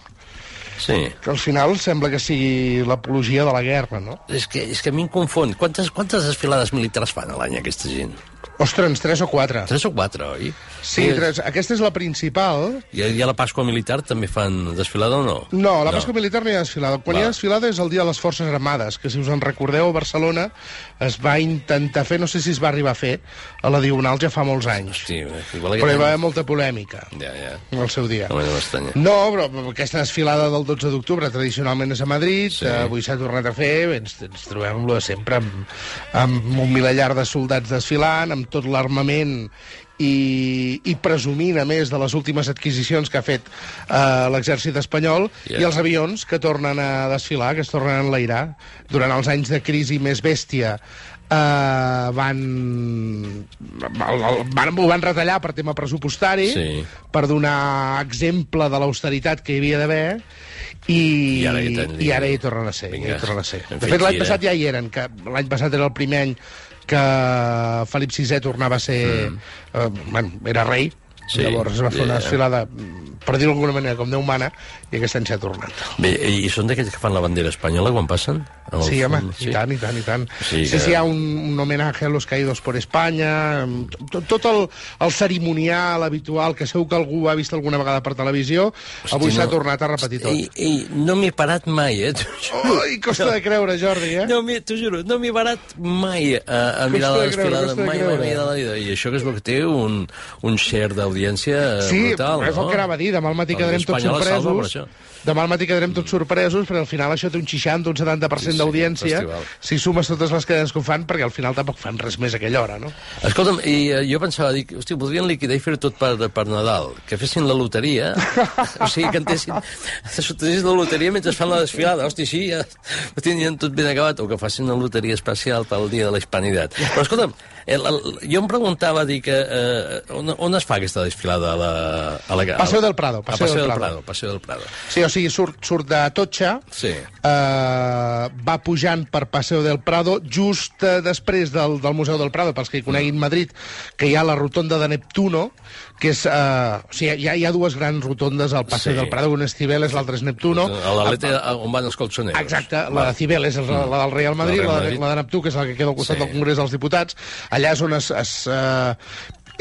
Sí. Que al final sembla que sigui l'apologia de la guerra, no? És que a mi em confon. Quantes desfilades militars fan a l'any aquesta gent? Ostres, 3 o 4. 3 o 4, oi? Sí, 3. Aquesta és la principal. I a la Pasqua Militar també fan desfilada o no? No, a la Pasqua Militar no hi ha desfilada. Quan hi ha desfilada és el dia de les Forces Armades, que si us en recordeu a Barcelona es va intentar fer, no sé si es va arribar a fer, a la Diagonal ja fa molts anys. Hosti, però hi va haver molta polèmica al seu dia. No, però aquesta desfilada del 12 d'octubre tradicionalment és a Madrid, avui s'ha tornat a fer, ens trobem amb sempre amb un milellar de soldats desfilant, amb tot l'armament i presumint, a més, de les últimes adquisicions que ha fet l'exèrcit espanyol i els avions que tornen a desfilar, que es tornen a enlairar. Durant els anys de crisi més bèstia ho van retallar per tema pressupostari, per donar exemple de l'austeritat que hi havia d'haver, i ara hi tornen a ser. De fet, l'any passat ja hi eren, que l'any passat era el primer any que Felip VI tornava a ser... era rei. Llavors es va fer una desfilada, per dir-ho d'alguna manera, com Déu mana, i aquest any s'ha tornat. Bé, i són d'aquells que fan la bandera espanyola quan passen? Sí, home, i tant. Sí, hi ha un homenatge a los caídos por España, tot el cerimonial habitual, que segur que algú ha vist alguna vegada per televisió, avui s'ha tornat a repetir tot. No m'he parat mai, Ui, costa de creure, Jordi, T'ho juro, no m'he parat mai a mirar la desfilada, mai de la vida. I això que és el que té un share d'audiència brutal, no? Sí, és el que anava a dir, demà al matí quedarem tots sorpresos. Demà al matí quedarem tots sorpresos, perquè al final això té un 60, un 70% d'audiència, si sumes totes les cadenes que ho fan, perquè al final tampoc fan res més a aquella hora, no? Escolta'm, i jo pensava, dic, hòstia, podrien liquidar i fer tot per Nadal, que fessin la loteria, o sigui, que sortessin la loteria mentre fan la desfilada, hòstia, sí, ja ho tindrien tot ben acabat, o que facin una loteria especial pel dia de la Hispanitat. Però escolta'm, jo em preguntava, dic, on es fa aquesta desfilada a la... Paseo del Prado. Paseo del Prado. Sí, o sigui, surt de Atocha, va pujant per Paseo del Prado, just després del Museu del Prado, pels que hi coneguin Madrid, que hi ha la rotonda de Neptuno, que és... o sigui, hi ha dues grans rotondes al Paseo del Prado, una és Cibeles, l'altra és Neptuno. A l'Alete, on van els colchoneros. Exacte, la de Cibeles és la del Real Madrid, la de Neptú, que és la que queda al costat del Congrés dels Diputats. Allà és on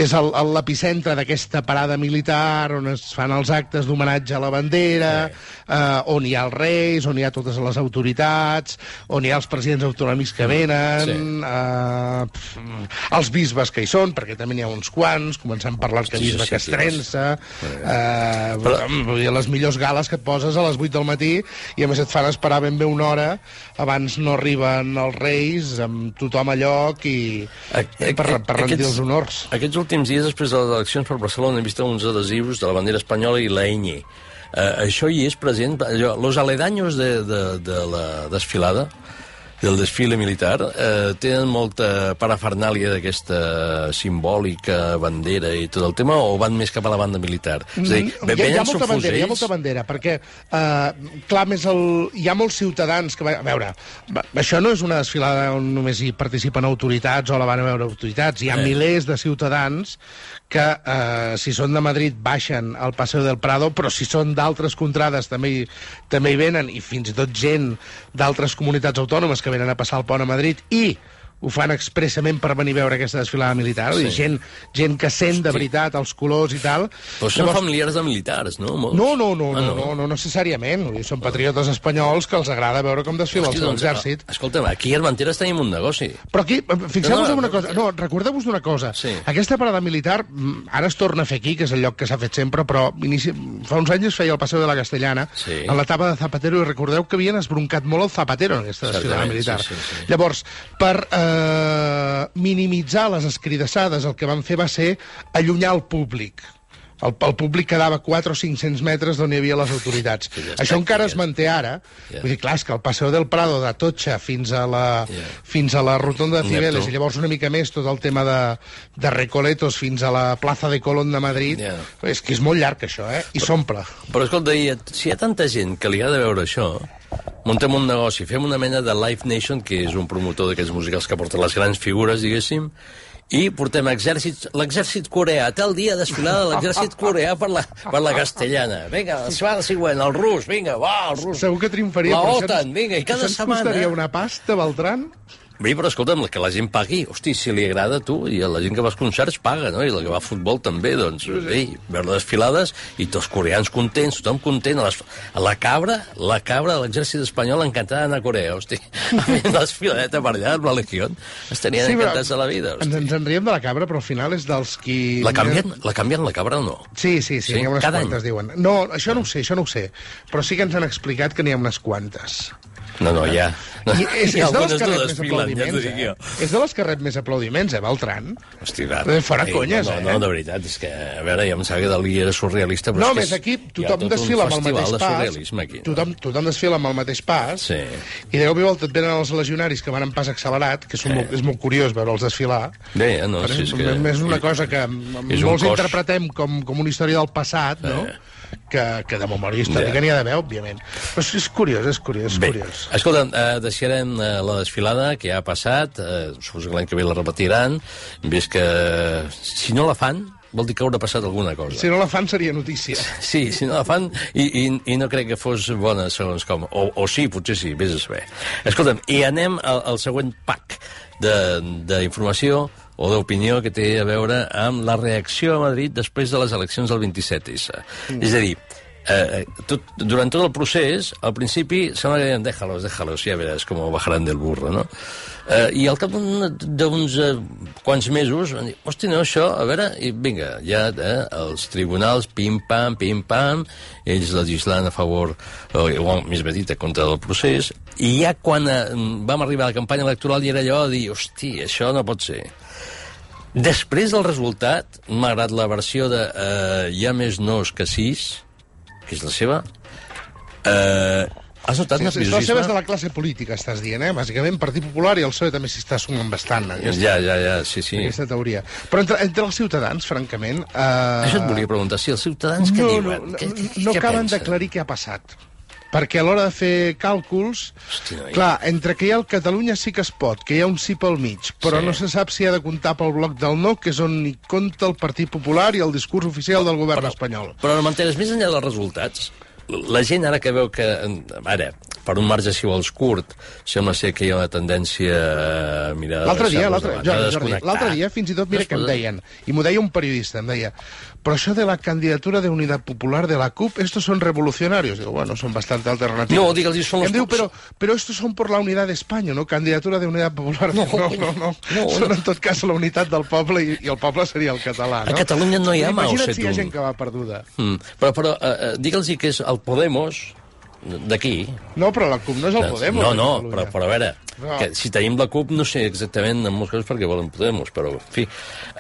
és l'epicentre d'aquesta parada militar, on es fan els actes d'homenatge a la bandera, on hi ha els reis, on hi ha totes les autoritats, on hi ha els presidents autonòmics que venen, els bisbes que hi són, perquè també n'hi ha uns quants, començant per l'arquebisbe Castrense, les millors gales que et poses a les 8 del matí, i a més et fan esperar ben bé una hora, abans no arriben els reis, amb tothom a lloc, i per rendir els honors. Aquests últims dies, després de les eleccions per Barcelona, hem vist uns adhesius de la bandera espanyola i la ñ. Això hi és present? Los aledaños de la desfilada del desfile militar, tenen molta parafernàlia d'aquesta simbòlica bandera i tot el tema, o van més cap a la banda militar? És a dir, hi ha molta bandera, perquè, clar, hi ha molts ciutadans que... A veure, això no és una desfilada on només hi participen autoritats o la van a veure autoritats. Hi ha milers de ciutadans que, si són de Madrid, baixen al Paseo del Prado, però si són d'altres contrades també hi venen, i fins i tot gent d'altres comunitats autònomes que venen a passar el pont a Madrid i ho fan expressament per venir a veure aquesta desfilada militar. Sí. Gent que sent de veritat els colors i tal. Però són familiars de militars, no? No necessàriament. Són patriotes espanyols que els agrada veure com desfila el seu exèrcit. Escolta'm, aquí a Armenteres tenim un negoci. Però aquí, fixeu-vos en una cosa. No, recordeu-vos d'una cosa. Aquesta parada militar, ara es torna a fer aquí, que és el lloc que s'ha fet sempre, però fa uns anys es feia el Paseo de la Castellana, en l'etapa de Zapatero, i recordeu que havien esbroncat molt el Zapatero en aquesta desfilada militar. Llavors, per minimitzar les escridassades, el que van fer va ser allunyar el públic. El públic quedava 400 o 500 metres d'on hi havia les autoritats. Això encara es manté ara. Vull dir, clar, és que el Paseo del Prado d'Atocha fins a la rotonda de Cibeles, i llavors una mica més tot el tema de Recoletos fins a la plaça de Colón de Madrid, és que és molt llarg això, i s'omple. Però escolta, si hi ha tanta gent que li ha de veure això, muntem un negoci, fem una mena de Live Nation, que és un promotor d'aquests musicals que porta les grans figures, diguéssim, i portem l'exèrcit coreà, tal dia desfilada l'exèrcit coreà per la castellana. Vinga, el següent, el rus, vinga, va, el rus. Segur que triomfaria. La OTAN, vinga, i cada setmana... Això ens costaria una pasta, Beltran? Bé, però escolta'm, que la gent pagui. Hosti, si li agrada a tu, i a la gent que va als concerts paga, no? I la que va a futbol també, doncs, bé, veure desfilades, i tots coreans contents, tothom content. A la cabra de l'exèrcit espanyol encantada d'anar a Corea, hosti. A mi la desfiladeta per allà, amb la Legión, estarien encantats de la vida, hosti. Ens en riem de la cabra, però al final és dels qui... La canvien, la cabra o no? Sí, hi ha unes quantes, diuen. No, això no ho sé, però sí que ens han explicat que n'hi ha unes quantes. No, ja. És de les que rep més aplaudiments, És de les que rep més aplaudiments, Beltran? Hosti, fora conyes, No, de veritat, és que, a veure, ja em sembla que Dalí era surrealista, però és que aquí tothom desfila amb el mateix pas. Tothom desfila amb el mateix pas, i de cop i volta et venen els legionaris que van en pas accelerat, que és molt curiós veure'ls desfilar. Bé, no, si és que... És una cosa que molts interpretem com una història del passat, no? Que de memòria històrica n'hi ha d'haver, òbviament. Però és curiós. Bé, escolta, deixarem la desfilada, que ja ha passat, suposo que l'any que ve la repetiran, vist que si no la fan, vol dir que haurà passat alguna cosa. Si no la fan seria notícia. Sí, si no la fan, i no crec que fos bona, segons com. O sí, potser sí, vés a saber. Escolta'm, i anem al següent pack d'informació o d'opinió que té a veure amb la reacció a Madrid després de les eleccions del 27S. És a dir, durant tot el procés, al principi sembla que deien, déjalos, ja veràs com bajaran del burro, no? I al cap d'uns quants mesos van dir, hosti, no, això, a veure, i vinga, ja els tribunals, pim-pam, ells legislant a favor, o més bé dit, contra del procés, i ja quan vam arribar a la campanya electoral i era allò de dir, hosti, això no pot ser. Després del resultat, malgrat la versió de hi ha més nos que sis, que és la seva, has notat nerviosisme? La seva és de la classe política, estàs dient, Bàsicament, Partit Popular i el PSOE també s'hi està sumant bastant. Ja, sí. Aquesta teoria. Però entre els ciutadans, francament... Això et volia preguntar, si els ciutadans què diuen? No acaben d'aclarir què ha passat. Perquè a l'hora de fer càlculs, clar, entre que hi ha el Catalunya sí que es pot, que hi ha un sí pel mig, però no se sap si ha de comptar pel bloc del no, que és on hi compta el Partit Popular i el discurs oficial del govern espanyol. Però no m'entenes, més enllà dels resultats, la gent ara que veu que... Ara, per un marge, si vols, curt, sembla ser que hi ha una tendència a mirar... L'altre dia, fins i tot, mira què em deien, i m'ho deia un periodista, em deia, però això de la candidatura de Unitat Popular de la CUP, estos son revolucionarios. Digo, bueno, son bastante alternativos. No, digue'ls, són los... Em diu, però estos son por la unidad de España, no? Candidatura de Unitat Popular. No. Són, en tot cas, la unitat del poble i el poble seria el català, no? A Catalunya no hi ha Mao Zedong. Imagina't si hi ha gent que va perduda. Però digue'ls que és el Podemos d'aquí. No, però la CUP no és el Podemos. No, però a veure, que si tenim la CUP no sé exactament en molts casos perquè volen Podemos, però, en fi,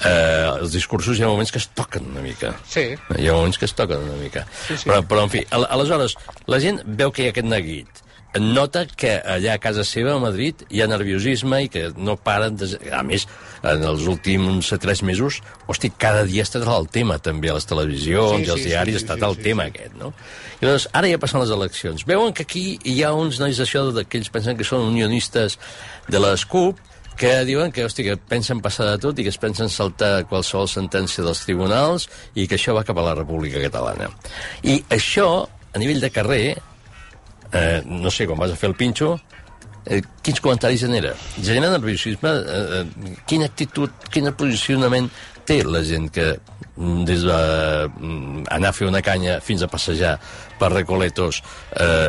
els discursos hi ha moments que es toquen una mica. Sí. Hi ha moments que es toquen una mica. Sí. Però en fi, aleshores, la gent veu que hi ha aquest neguit. nota que allà a casa seva, a Madrid, hi ha nerviosisme i que no paren de... A més, en els últims 3 mesos, hosti, cada dia està el tema, també, a les televisions i als diaris ha estat el tema aquest, no? I llavors, ara ja passen les eleccions. Veuen que aquí hi ha uns nois d'això que ells pensen que són unionistes de les CUP, que diuen que, hosti, que pensen passar de tot i que es pensen saltar qualsevol sentència dels tribunals i que això va cap a la República Catalana. I això, a nivell de carrer, no sé, quan vas a fer el pinxo, quins comentaris genera? Genera nerviosisme? Quina actitud, quin posicionament té la gent que des d'anar a fer una canya fins a passejar per Recoletos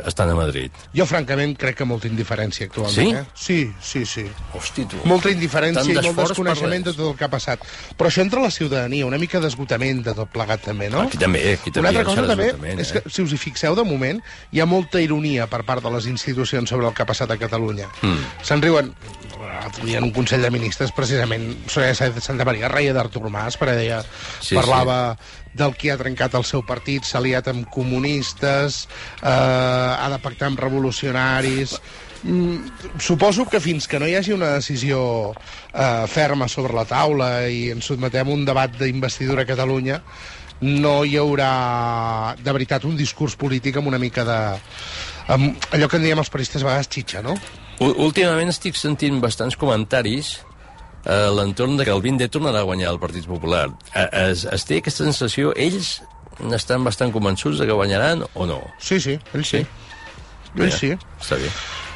estan a Madrid? Jo, francament, crec que molta indiferència actualment. Sí? Sí. Hosti, tu. Molta indiferència i molt desconeixement de tot el que ha passat. Però això entra a la ciutadania, una mica d'esgotament de tot plegat, també, no? Aquí també. Una altra cosa també és que, si us hi fixeu, de moment, hi ha molta ironia per part de les institucions sobre el que ha passat a Catalunya. Se'n riuen. L'altre dia en un Consell de Ministres, precisament, Soraya Santa Maria reia d'Artur Mas, perquè parlava del qui ha trencat el seu partit, s'ha aliat amb comunistes, ha de pactar amb revolucionaris... Suposo que fins que no hi hagi una decisió ferma sobre la taula i ens sotmetem a un debat d'investidura a Catalunya, no hi haurà, de veritat, un discurs polític amb una mica de... allò que en diem els periodistes a vegades xitxa, no? Últimament estic sentint bastants comentaris a l'entorn de que el 20D tornarà a guanyar el Partit Popular. Es té aquesta sensació, ells estan bastant convençuts de que guanyaran o no? Sí, ells sí. Ells sí. Està bé.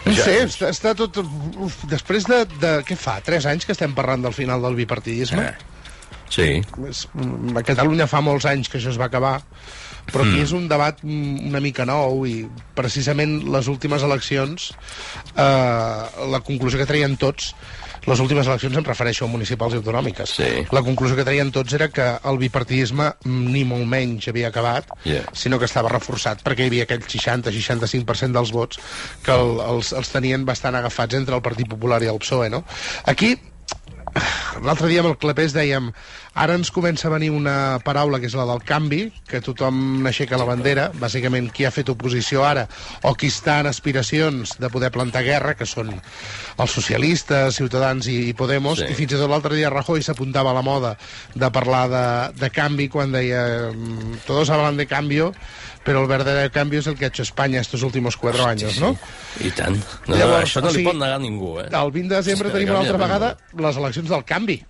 No sé, està tot... Després de... Què fa? 3 anys que estem parlant del final del bipartidisme? Sí. A Catalunya fa molts anys que això es va acabar, però aquí és un debat una mica nou i precisament les últimes eleccions, la conclusió que traien tots, les últimes eleccions em refereixo a municipals i autonòmiques, la conclusió que traien tots era que el bipartidisme ni molt menys havia acabat, sinó que estava reforçat perquè hi havia aquell 60-65% dels vots que els tenien bastant agafats entre el Partit Popular i el PSOE, no? Aquí l'altre dia amb el Clapés dèiem ara ens comença a venir una paraula que és la del canvi, que tothom n'aixeca la bandera, bàsicament qui ha fet oposició ara o qui està en aspiracions de poder plantar guerra, que són els socialistes, Ciutadans i Podemos, i fins i tot l'altre dia Rajoy s'apuntava a la moda de parlar de canvi quan deia todos hablan de cambio, però el verdadero cambio és el que ha hecho España estos últimos 4 anys, no? I tant. Llavors, això no li pot negar ningú, El 20 de desembre tenim una altra vegada les eleccions del canvi.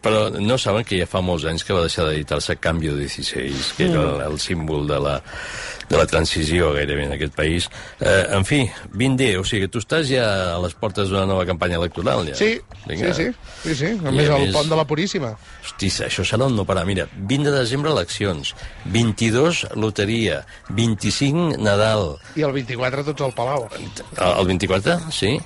Però no saben que ja fa molts anys que va deixar d'editar-se Cambio 16, que era el símbol de la transició gairebé en aquest país. En fi, 20D, o sigui que tu estàs ja a les portes d'una nova campanya electoral, ja. Sí. A més, el pont de la Puríssima. Hosti, això serà un no parar. Mira, 20 de desembre eleccions, 22 loteria, 25 Nadal. I el 24 tots al Palau. El 24, sí?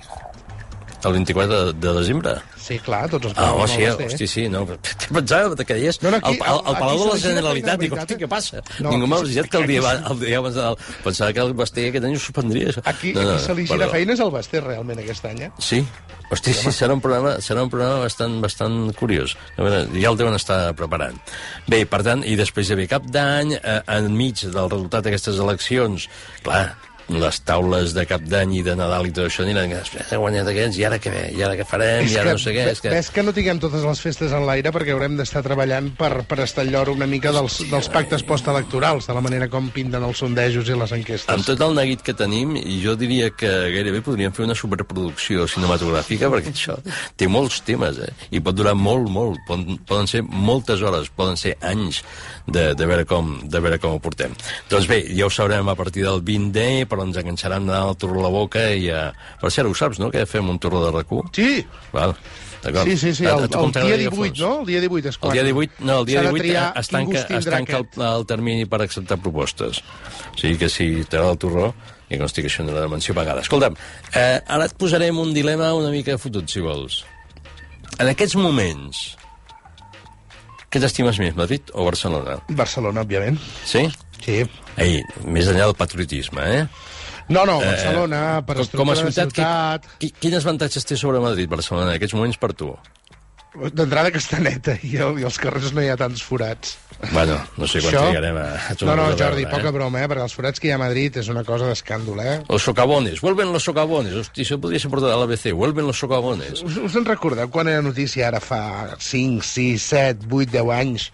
El 24 de desembre? Sí, clar, tots els Palau. Hosti, sí, no. Què pensava que deies? El Palau de la Generalitat. Dic, hosti, què passa? Ningú m'ha avisat que el dia abans de Nadal pensava que el Basté aquest any ho suspendria. Aquí se li gira feines al Basté, realment, aquest any, Sí? Hosti, sí, serà un programa bastant curiós. Ja el deuen estar preparant. Bé, per tant, i després hi havia Cap d'Any, enmig del resultat d'aquestes eleccions, clar, les taules de Cap d'Any i de Nadal i tot això aniran, després he guanyat aquests, i ara què farem, i ara no sé què... Ves que no tinguem totes les festes en l'aire perquè haurem d'estar treballant per estar al llor una mica dels pactes postelectorals, de la manera com pinten els sondejos i les enquestes. Amb tot el neguit que tenim, jo diria que gairebé podríem fer una superproduccio cinematogràfica, perquè això té molts temes, i pot durar molt, poden ser moltes hores, poden ser anys de veure com ho portem. Doncs bé, ja ho sabrem a partir del 20D, però ens enganxaran el turro a la boca i... Per cert, ho saps, no?, que fem un turro de RAC1? Sí! Val, d'acord. Sí, el dia 18, no? El dia 18 és quan... El dia 18 es tanca el termini per acceptar propostes. O sigui que si t'agrada el turró, i consti que això no era de menció pagada. Escolta'm, ara et posarem un dilema una mica fotut, si vols. En aquests moments, què t'estimes més, Madrid o Barcelona? Barcelona, òbviament. Sí? Sí. Ei, més enllà del patriotisme, No, Barcelona, per estructura de ciutat... Quins avantatges té sobre Madrid, Barcelona, en aquests moments per tu? D'entrada que està neta i als carrers no hi ha tants forats. Bueno, no sé quan trigarem a No, Jordi, poca broma, perquè els forats que hi ha a Madrid és una cosa d'escàndol, Los socavones, vuelven los socavones. Hosti, això podria ser portat a l'ABC, vuelven los socavones. Us en recordeu quan era notícia ara fa 5, 6, 7, 8, 10 anys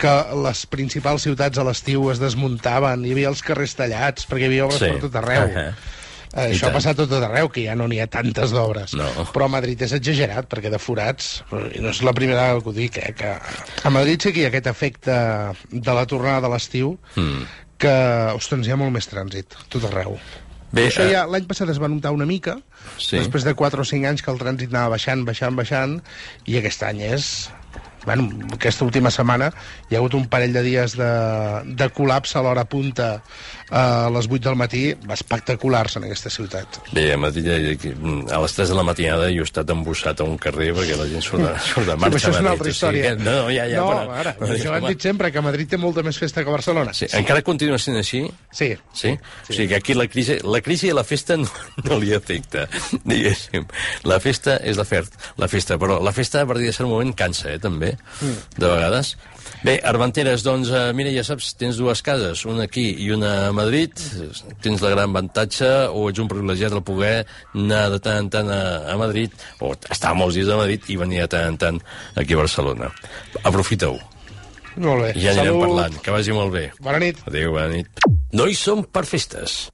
que les principals ciutats a l'estiu es desmuntaven, hi havia els carrers tallats perquè hi havia obres per tot arreu. Això ha passat tot arreu, que ja no n'hi ha tantes d'obres. No. Però a Madrid és exagerat, perquè de forats, i no és la primera vegada que ho dic, que a Madrid sí que hi ha aquest efecte de la tornada de l'estiu, que, ostres, hi ha molt més trànsit, tot arreu. Bé, això ja l'any passat es va notar una mica, després de 4 o 5 anys que el trànsit anava baixant, i aquest any és... Bueno, aquesta última setmana hi ha hagut un parell de dies de col·lapse a l'hora punta a les 8 del matí, espectaculars en aquesta ciutat. Bé, a Madrid, a les 3 de la matinada jo he estat embussat a un carrer perquè la gent surt de marxa. Això és una altra història. Ara, això ho han dit sempre, que a Madrid té molta més festa que a Barcelona. Sí, encara continua sent així? Sí. Sí? O sigui que aquí la crisi i la festa no li afecta, diguéssim. La festa és la festa, però la festa a partir de cert moment cansa, també, de vegades. Bé, Armenteres, doncs, mira, ja saps, tens 2 cases, una aquí i una a Madrid, tens la gran avantatge, o ets un privilegiat de poder anar de tant en tant a Madrid, o estar molts dies a Madrid i venir de tant en tant aquí a Barcelona. Aprofita-ho. Molt bé. Ja anirem parlant, que vagi molt bé. Bona nit. Adéu, bona nit. No hi som per festes.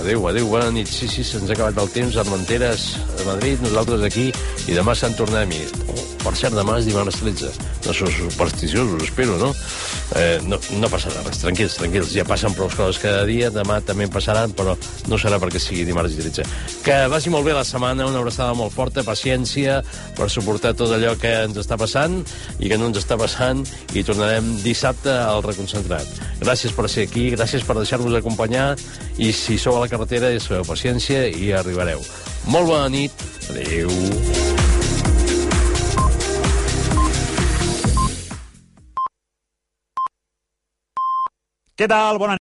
Adéu, bona nit. Sí, se'ns ha acabat el temps, Armenteres a Madrid, nosaltres aquí, i demà Sant Tornem-hi. Per cert, demà és dimarts 13. No sou supersticiosos, espero, no? No passarà res, tranquils. Ja passen prou coses cada dia, demà també en passaran, però no serà perquè sigui dimarts 13. Que vagi molt bé la setmana, una abraçada molt forta, paciència per suportar tot allò que ens està passant i que no ens està passant, i tornarem dissabte al Reconcentrat. Gràcies per ser aquí, gràcies per deixar-vos acompanyar, i si sou a la carretera, sabeu paciència i arribareu. Molt bona nit. Adéu. Què tal? Bona nit.